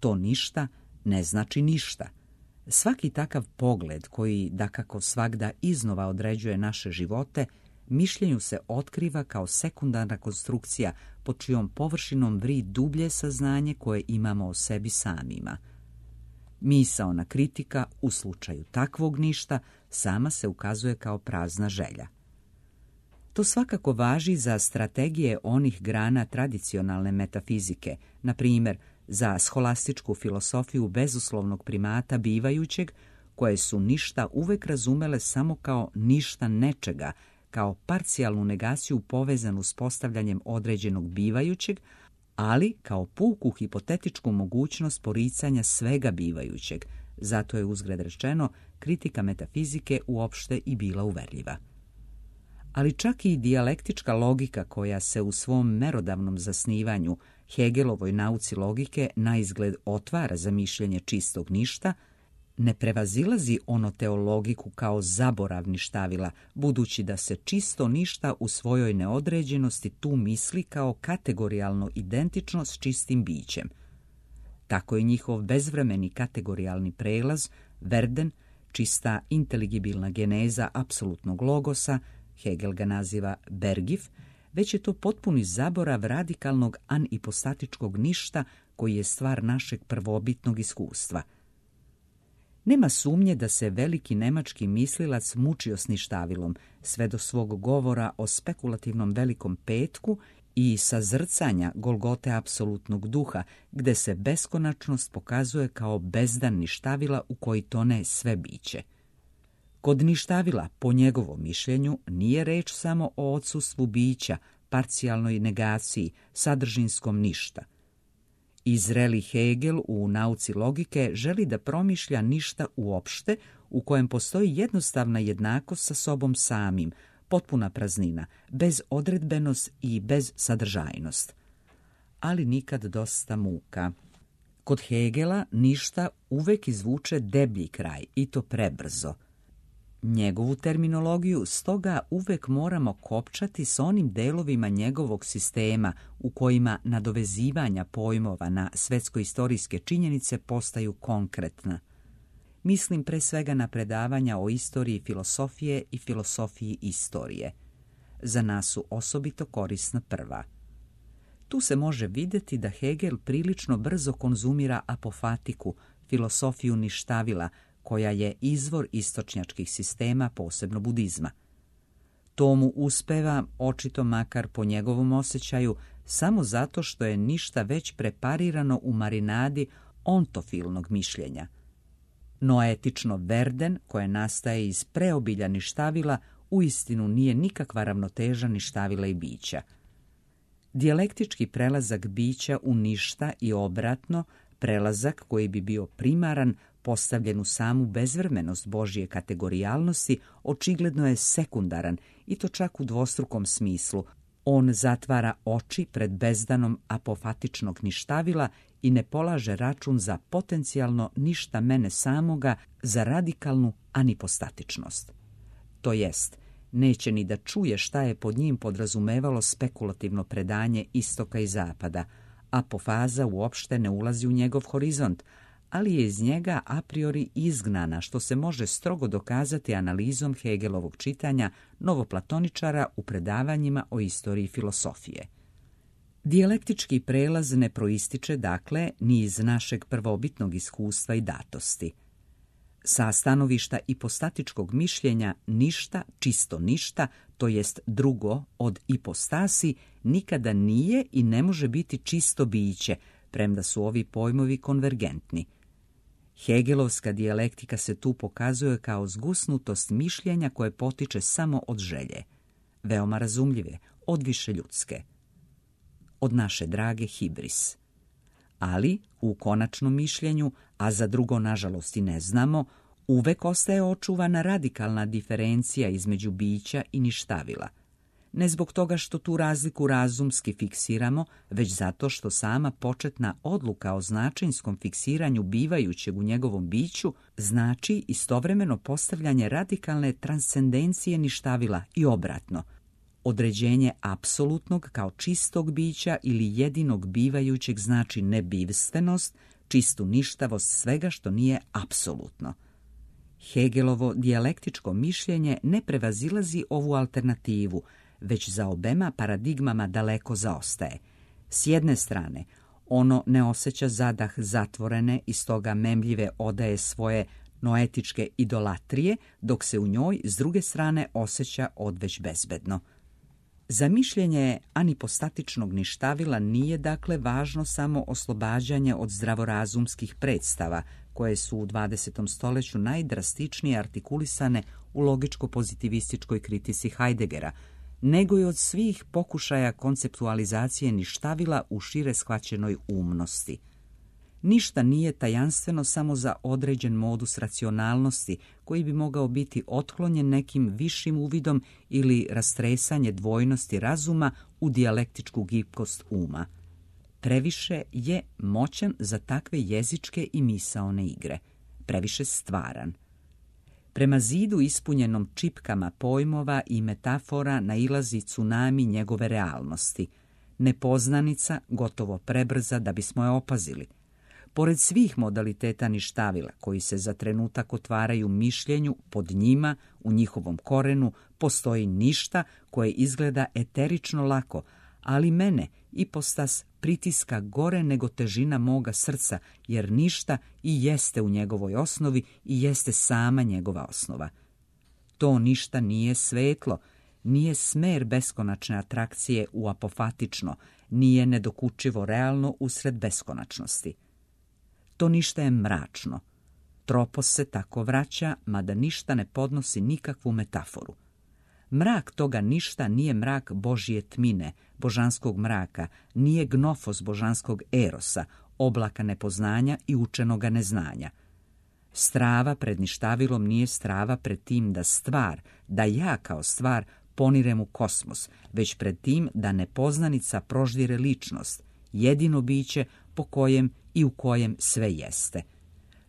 to ništa, ne znači ništa. Svaki takav pogled koji, dakako svagda iznova određuje naše živote, mišljenju se otkriva kao sekundarna konstrukcija pod čijom površinom vri dublje saznanje koje imamo o sebi samima. Misaona kritika u slučaju takvog ništa sama se ukazuje kao prazna želja. To svakako važi za strategije onih grana tradicionalne metafizike, na primjer za scholastičku filosofiju bezuslovnog primata bivajućeg, koje su ništa uvek razumele samo kao ništa nečega, kao parcijalnu negaciju povezanu s postavljanjem određenog bivajućeg, ali kao puku hipotetičku mogućnost poricanja svega bivajućeg. Zato je uzgred rečeno kritika metafizike uopšte i bila uverljiva. Ali čak i dijalektička logika koja se u svom merodavnom zasnivanju Hegelovoj nauci logike naizgled otvara za mišljenje čistog ništa, ne prevazilazi onoteologiku kao zaborav ništavila, budući da se čisto ništa u svojoj neodređenosti tu misli kao kategorijalno identično s čistim bićem. Tako je njihov bezvremeni kategorijalni prelaz, Verden, čista inteligibilna geneza apsolutnog logosa, Hegel ga naziva Bergif, već je to potpuni zaborav radikalnog anipostatičkog ništa koji je stvar našeg prvobitnog iskustva. Nema sumnje da se veliki nemački mislilac mučio s ništavilom sve do svog govora o spekulativnom velikom petku i sazrcanja Golgote apsolutnog duha, gde se beskonačnost pokazuje kao bezdan ništavila u koji tone sve biće. Kod ništavila, po njegovom mišljenju, nije reč samo o odsustvu bića, parcijalnoj negaciji, sadržinskom ništa. I zreli Hegel u nauci logike želi da promišlja ništa uopšte, u kojem postoji jednostavna jednakost sa sobom samim, potpuna praznina, bez odredbenost i bez sadržajnost. Ali nikad dosta muka. Kod Hegela ništa uvek izvuče deblji kraj, i to prebrzo. Njegovu terminologiju stoga uvek moramo kopčati s onim delovima njegovog sistema u kojima nadovezivanja pojmova na svetsko-istorijske činjenice postaju konkretna. Mislim pre svega na predavanja o istoriji filosofije i filosofiji istorije. Za nas su osobito korisna prva. Tu se može vidjeti da Hegel prilično brzo konzumira apofatiku, filosofiju ništavila, koja je izvor istočnjačkih sistema, posebno budizma. To mu uspeva, očito makar po njegovom osjećaju, samo zato što je ništa već preparirano u marinadi ontofilnog mišljenja. Noetično Verden, koje nastaje iz preobilja ništavila, uistinu nije nikakva ravnoteža ništavila i bića. Dijalektički prelazak bića u ništa i obratno, prelazak koji bi bio primaran, postavljen u samu bezvrmenost Božje kategorijalnosti, očigledno je sekundaran, i to čak u dvostrukom smislu. On zatvara oči pred bezdanom apofatičnog ništavila i ne polaže račun za potencijalno ništa mene samoga, za radikalnu anipostatičnost. To jest, neće ni da čuje šta je pod njim podrazumevalo spekulativno predanje istoka i zapada. Apofaza uopšte ne ulazi u njegov horizont, ali je iz njega a priori izgnana, što se može strogo dokazati analizom Hegelovog čitanja novoplatoničara u predavanjima o istoriji filosofije. Dijalektički prelaz ne proističe, dakle, ni iz našeg prvobitnog iskustva i datosti. Sa stanovišta ipostatičkog mišljenja ništa, čisto ništa, to jest drugo od ipostasi, nikada nije i ne može biti čisto biće, premda su ovi pojmovi konvergentni. Hegelovska dijalektika se tu pokazuje kao zgusnutost mišljenja koje potiče samo od želje, veoma razumljive, odviše ljudske, od naše drage hibris. Ali, u konačnom mišljenju, a za drugo nažalost i ne znamo, uvek ostaje očuvana radikalna diferencija između bića i ništavila. Ne zbog toga što tu razliku razumski fiksiramo, već zato što sama početna odluka o značinskom fiksiranju bivajućeg u njegovom biću znači istovremeno postavljanje radikalne transcendencije ništavila i obratno. Određenje apsolutnog kao čistog bića ili jedinog bivajućeg znači nebivstvenost, čistu ništavost svega što nije apsolutno. Hegelovo dijalektičko mišljenje ne prevazilazi ovu alternativu, već za obema paradigmama daleko zaostaje. S jedne strane, Ono ne osjeća zadah zatvorene i stoga memljive odaje svoje noetičke idolatrije, dok se u njoj s druge strane osjeća odveć bezbedno. Za mišljenje anipostatičnog ništavila nije dakle važno samo oslobađanje od zdravorazumskih predstava, koje su u dvadesetom stoljeću najdrastičnije artikulisane u logičko-pozitivističkoj kritici Heideggera, nego i od svih pokušaja konceptualizacije ništavila u šire shvaćenoj umnosti. Ništa nije tajanstveno samo za određen modus racionalnosti, koji bi mogao biti otklonjen nekim višim uvidom ili rastresanje dvojnosti razuma u dijalektičku gibkost uma. Previše je moćan za takve jezičke i misaone igre, previše stvaran. Prema zidu ispunjenom čipkama pojmova i metafora nailazi tsunami njegove realnosti. Nepoznanica gotovo prebrza da bismo je opazili. Pored svih modaliteta ništavila, koji se za trenutak otvaraju mišljenju, pod njima, u njihovom korenu, postoji ništa koje izgleda eterično lako, ali mene, ipostas, pritiska gore nego težina moga srca, jer ništa i jeste u njegovoj osnovi i jeste sama njegova osnova. To ništa nije svetlo, nije smer beskonačne atrakcije u apofatično, nije nedokučivo realno usred beskonačnosti. To ništa je mračno. Tropos se tako vraća, mada ništa ne podnosi nikakvu metaforu. Mrak toga ništa nije mrak Božje tmine, božanskog mraka, nije gnofos božanskog erosa, oblaka nepoznanja i učenoga neznanja. Strava pred ništavilom nije strava pred tim da stvar, da ja kao stvar ponirem u kosmos, već pred tim da nepoznanica proždire ličnost, jedino biće po kojem i u kojem sve jeste.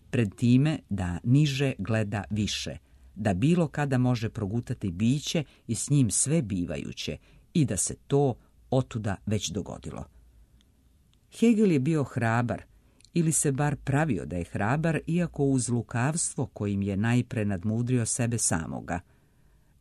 Pred time da niže gleda više, da bilo kada može progutati biće i s njim sve bivajuće i da se to otuda već dogodilo. Hegel je bio hrabar, ili se bar pravio da je hrabar, iako uz lukavstvo kojim je najpre nadmudrio sebe samoga.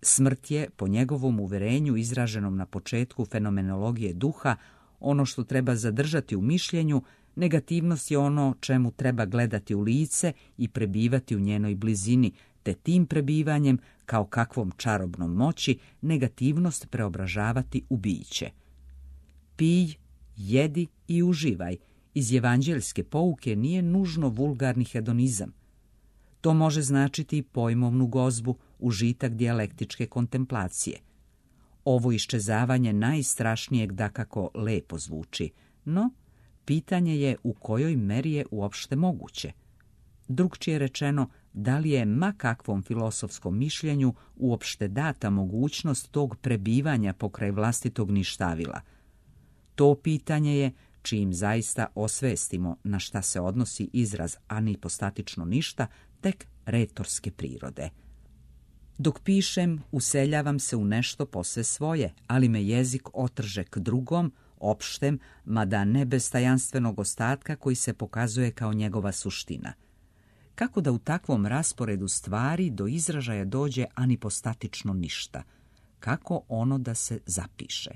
Smrt je, po njegovom uverenju izraženom na početku fenomenologije duha, ono što treba zadržati u mišljenju, negativnost je ono čemu treba gledati u lice i prebivati u njenoj blizini, te tim prebivanjem, kao kakvom čarobnom moći, negativnost preobražavati u biće. Pij, jedi i uživaj iz evanđeljske pouke nije nužno vulgarni hedonizam. To može značiti pojmovnu gozbu, užitak dijalektičke kontemplacije. Ovo iščezavanje najstrašnijeg dakako lepo zvuči, no pitanje je u kojoj meri je uopšte moguće. Drugčije rečeno, da li je ma kakvom filosofskom mišljenju uopšte data mogućnost tog prebivanja pokraj vlastitog ništavila. To pitanje je, čim zaista osvestimo na šta se odnosi izraz anipostatično ništa, tek retorske prirode. Dok pišem, useljavam se u nešto posve svoje, ali me jezik otrže k drugom, opštem, mada ne bez tajanstvenog ostatka koji se pokazuje kao njegova suština. Kako da u takvom rasporedu stvari do izražaja dođe anipostatično ništa? Kako ono da se zapiše?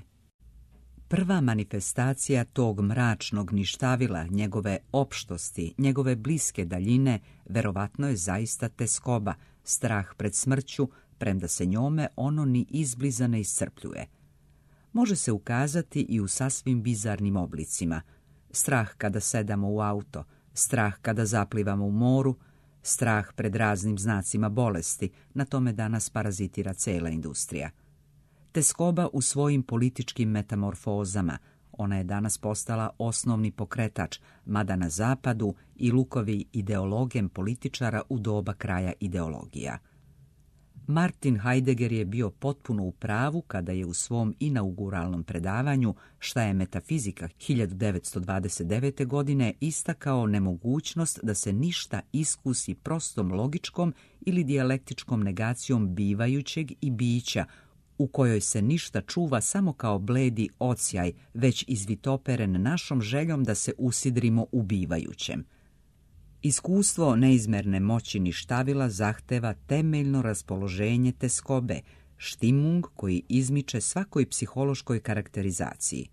Prva manifestacija tog mračnog ništavila, njegove opštosti, njegove bliske daljine, verovatno je zaista teskoba, strah pred smrću, premda se njome ono ni izbliza ne iscrpljuje. Može se ukazati i u sasvim bizarnim oblicima. Strah kada sedamo u auto, strah kada zaplivamo u moru, strah pred raznim znacima bolesti, na tome danas parazitira cela industrija. Teskoba u svojim političkim metamorfozama, ona je danas postala osnovni pokretač, mada na zapadu i lukovi ideologem političara u doba kraja ideologija. Martin Heidegger je bio potpuno u pravu kada je u svom inauguralnom predavanju Šta je metafizika hiljadu devetsto dvadeset devete. godine istakao nemogućnost da se ništa iskusi prostom logičkom ili dijalektičkom negacijom bivajućeg i bića, u kojoj se ništa čuva samo kao bledi odsjaj, već izvitoperen našom željom da se usidrimo u bivajućem. Iskustvo neizmerne moći ništavila zahteva temeljno raspoloženje teskobe, štimung koji izmiče svakoj psihološkoj karakterizaciji.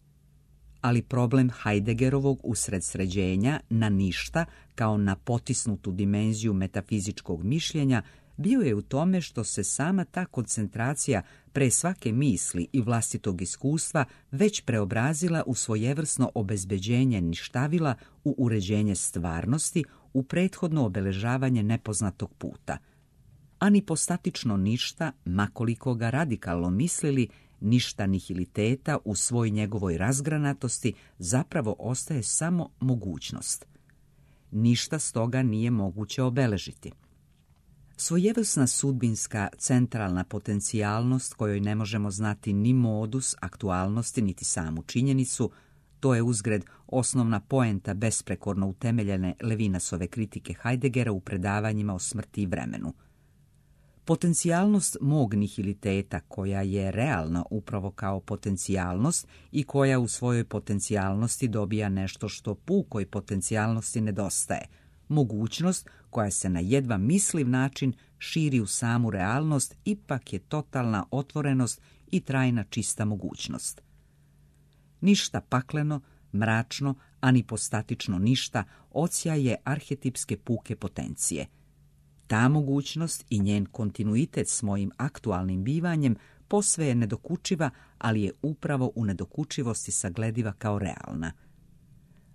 ali problem Heideggerovog usredsređenja na ništa kao na potisnutu dimenziju metafizičkog mišljenja bio je u tome što se sama ta koncentracija pre svake misli i vlastitog iskustva već preobrazila u svojevrsno obezbeđenje ništavila, u uređenje stvarnosti, u prethodno obeležavanje nepoznatog puta. A nipostatično ništa, makoliko ga radikalno mislili, ništa nihiliteta u svoj njegovoj razgranatosti zapravo ostaje samo mogućnost. Ništa stoga nije moguće obeležiti. Svojevrsna sudbinska centralna potencijalnost kojoj ne možemo znati ni modus aktualnosti niti samu činjenicu, to je uzgred osnovna poenta besprekorno utemeljene Levinasove kritike Heideggera u predavanjima o smrti i vremenu. Potencijalnost mog nihiliteta, koja je realna upravo kao potencijalnost i koja u svojoj potencijalnosti dobija nešto što pukoj potencijalnosti nedostaje, mogućnost koja se na jedva misliv način širi u samu realnost, ipak je totalna otvorenost i trajna čista mogućnost. Ništa pakleno, mračno, a ni postatično ništa odsjaje arhetipske puke potencije. Ta mogućnost i njen kontinuitet s mojim aktualnim bivanjem posve je nedokučiva, ali je upravo u nedokučivosti saglediva kao realna.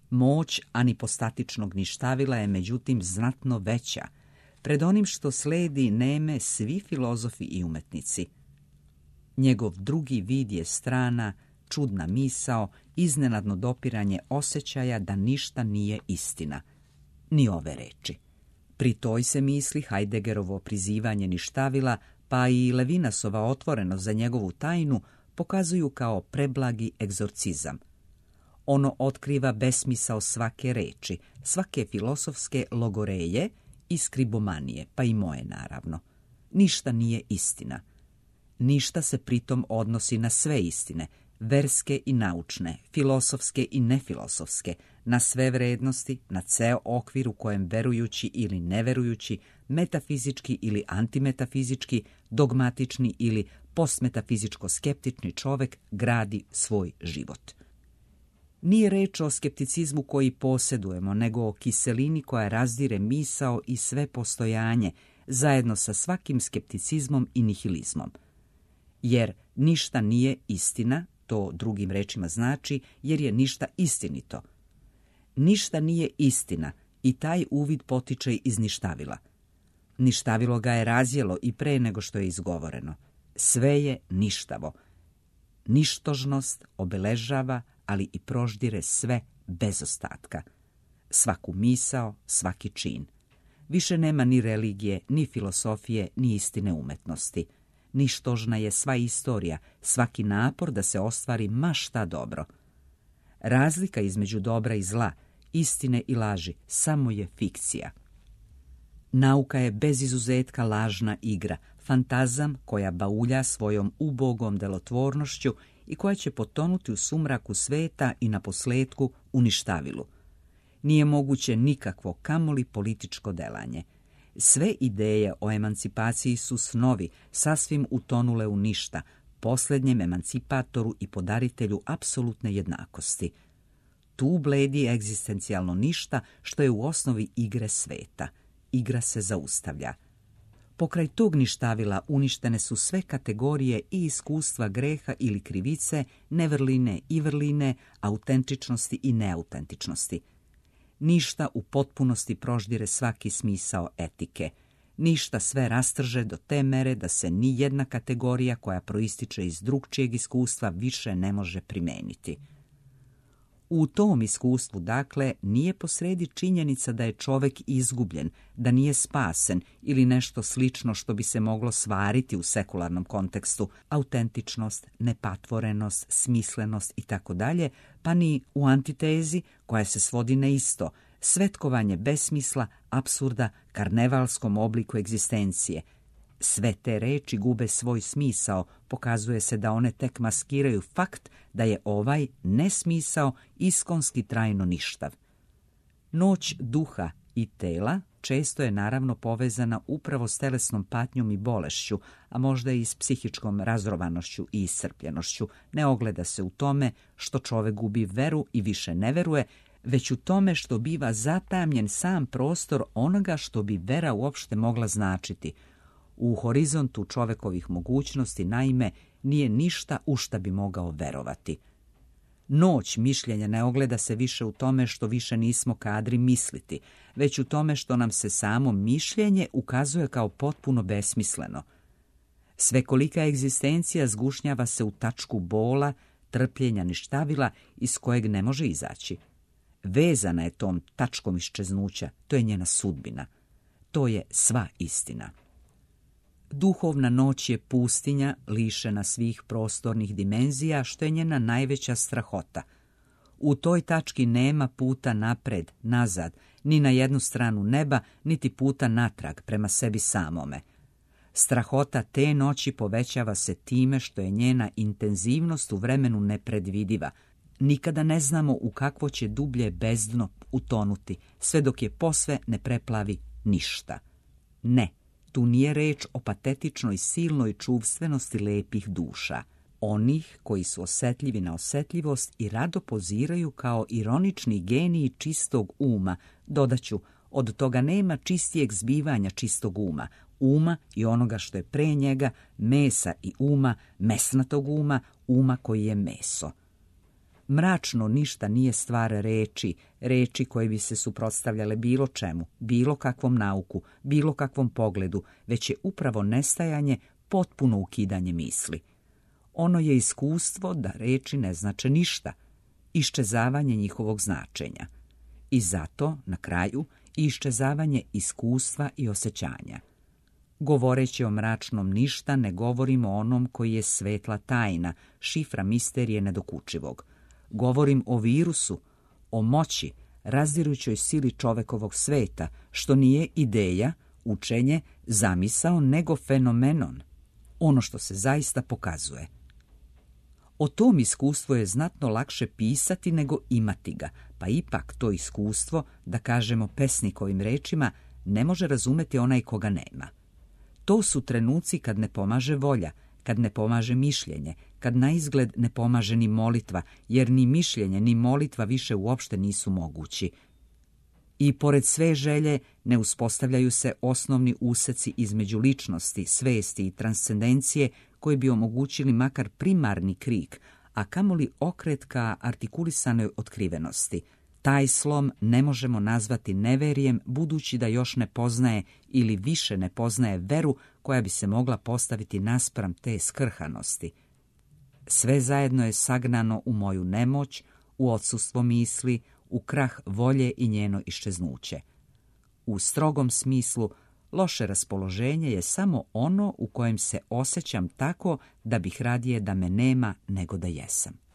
Moć anipostatičnog ništavila je međutim znatno veća. Pred onim što sledi neme svi filozofi i umetnici. Njegov drugi vid je strana, čudna misao, iznenadno dopiranje osjećaja da ništa nije istina. Ni ove reči. Pri toj se misli Heideggerovo prizivanje ništavila, pa i Levinasova otvorenost za njegovu tajnu pokazuju kao preblagi egzorcizam. Ono otkriva besmisao svake reči, svake filosofske logoreje i skribomanije, pa i moje naravno. Ništa nije istina. Ništa se pritom odnosi na sve istine, verske i naučne, filosofske i nefilosofske, na sve vrednosti, na ceo okvir u kojem verujući ili neverujući, metafizički ili antimetafizički, dogmatični ili postmetafizičko-skeptični čovek gradi svoj život. Nije reč o skepticizmu koji posjedujemo, nego o kiselini koja razdire misao i sve postojanje, zajedno sa svakim skepticizmom i nihilizmom. Jer ništa nije istina, to drugim rečima znači, jer je ništa istinito. Ništa nije istina i taj uvid potiče iz ništavila. Ništavilo ga je razjelo i pre nego što je izgovoreno. Sve je ništavo. Ništožnost obeležava, ali i proždire sve bez ostatka. Svaku misao, svaki čin. Više nema ni religije, ni filosofije, ni istine umetnosti. Ništožna je sva istorija, svaki napor da se ostvari ma šta dobro. Razlika između dobra i zla, istine i laži, samo je fikcija. Nauka je bez izuzetka lažna igra, fantazam koja baulja svojom ubogom delotvornošću i koja će potonuti u sumraku sveta i na posletku u ništavilu. Nije moguće nikakvo, kamoli političko delanje. Sve ideje o emancipaciji su snovi, sasvim utonule u ništa, posljednjem emancipatoru i podaritelju apsolutne jednakosti. Tu bledi egzistencijalno ništa što je u osnovi igre sveta. Igra se zaustavlja. Pokraj tog ništavila uništene su sve kategorije i iskustva greha ili krivice, nevrline i vrline, autentičnosti i neautentičnosti. Ništa u potpunosti proždire svaki smisao etike. Ništa sve rastrže do te mere da se ni jedna kategorija koja proističe iz drugčijeg iskustva više ne može primeniti. U tom iskustvu, dakle, nije posredi činjenica da je čovek izgubljen, da nije spasen ili nešto slično što bi se moglo svariti u sekularnom kontekstu, autentičnost, nepatvorenost, smislenost itd., pa ni u antitezi koja se svodi na isto, svetkovanje besmisla, apsurda, karnevalskom obliku egzistencije. Sve te reči gube svoj smisao, pokazuje se da one tek maskiraju fakt da je ovaj nesmisao iskonski trajno ništav. Noć duha i tela, često je naravno povezana upravo s telesnom patnjom i bolešću, a možda i s psihičkom razrovanošću i iscrpljenošću. Ne ogleda se u tome što čovek gubi veru i više ne veruje, već u tome što biva zatamljen sam prostor onoga što bi vera uopšte mogla značiti. U horizontu čovekovih mogućnosti, naime, nije ništa u šta bi mogao verovati. Noć mišljenja ne ogleda se više u tome što više nismo kadri misliti, već u tome što nam se samo mišljenje ukazuje kao potpuno besmisleno. Svekolika egzistencija zgušnjava se u tačku bola, trpljenja, ništavila iz kojeg ne može izaći. Vezana je tom tačkom iščeznuća, to je njena sudbina. To je sva istina. Duhovna noć je pustinja lišena svih prostornih dimenzija, što je njena najveća strahota. U toj tački nema puta napred, nazad, ni na jednu stranu neba, niti puta natrag prema sebi samome. Strahota te noći povećava se time što je njena intenzivnost u vremenu nepredvidiva. Nikada ne znamo u kakvo će dublje bezdno utonuti, sve dok je posve ne preplavi ništa. Ne. Tu nije reč o patetičnoj silnoj čuvstvenosti lepih duša, onih koji su osetljivi na osetljivost i rado poziraju kao ironični geniji čistog uma. Dodaću, od toga nema čistijeg zbivanja čistog uma, uma i onoga što je pre njega, mesa i uma, mesnatog uma, uma koji je meso. Mračno ništa nije stvar reči, reči koje bi se suprotstavljale bilo čemu, bilo kakvom nauku, bilo kakvom pogledu, već je upravo nestajanje, potpuno ukidanje misli. Ono je iskustvo da reči ne znače ništa, iščezavanje njihovog značenja. I zato, na kraju, iščezavanje iskustva i osjećanja. Govoreći o mračnom ništa, ne govorimo o onom koji je svetla tajna, šifra misterije nedokučivog. Govorim o virusu, o moći, razdirujućoj sili čovekovog sveta, što nije ideja, učenje, zamisao, nego fenomenon, ono što se zaista pokazuje. O tom iskustvu je znatno lakše pisati nego imati ga, pa ipak to iskustvo, da kažemo pesnikovim rečima, ne može razumeti onaj koga nema. To su trenuci kad ne pomaže volja, kad ne pomaže mišljenje, kad na izgled ne pomaže ni molitva, jer ni mišljenje ni molitva više uopšte nisu mogući. I pored sve želje ne uspostavljaju se osnovni useci između ličnosti, svesti i transcendencije koji bi omogućili makar primarni krik, a kamoli okret ka artikulisanoj otkrivenosti. Taj slom ne možemo nazvati neverijem, budući da još ne poznaje ili više ne poznaje veru koja bi se mogla postaviti naspram te skrhanosti. Sve zajedno je sagnano u moju nemoć, u odsustvo misli, u krah volje i njeno iščeznuće. U strogom smislu, loše raspoloženje je samo ono u kojem se osjećam tako da bih radije da me nema nego da jesam.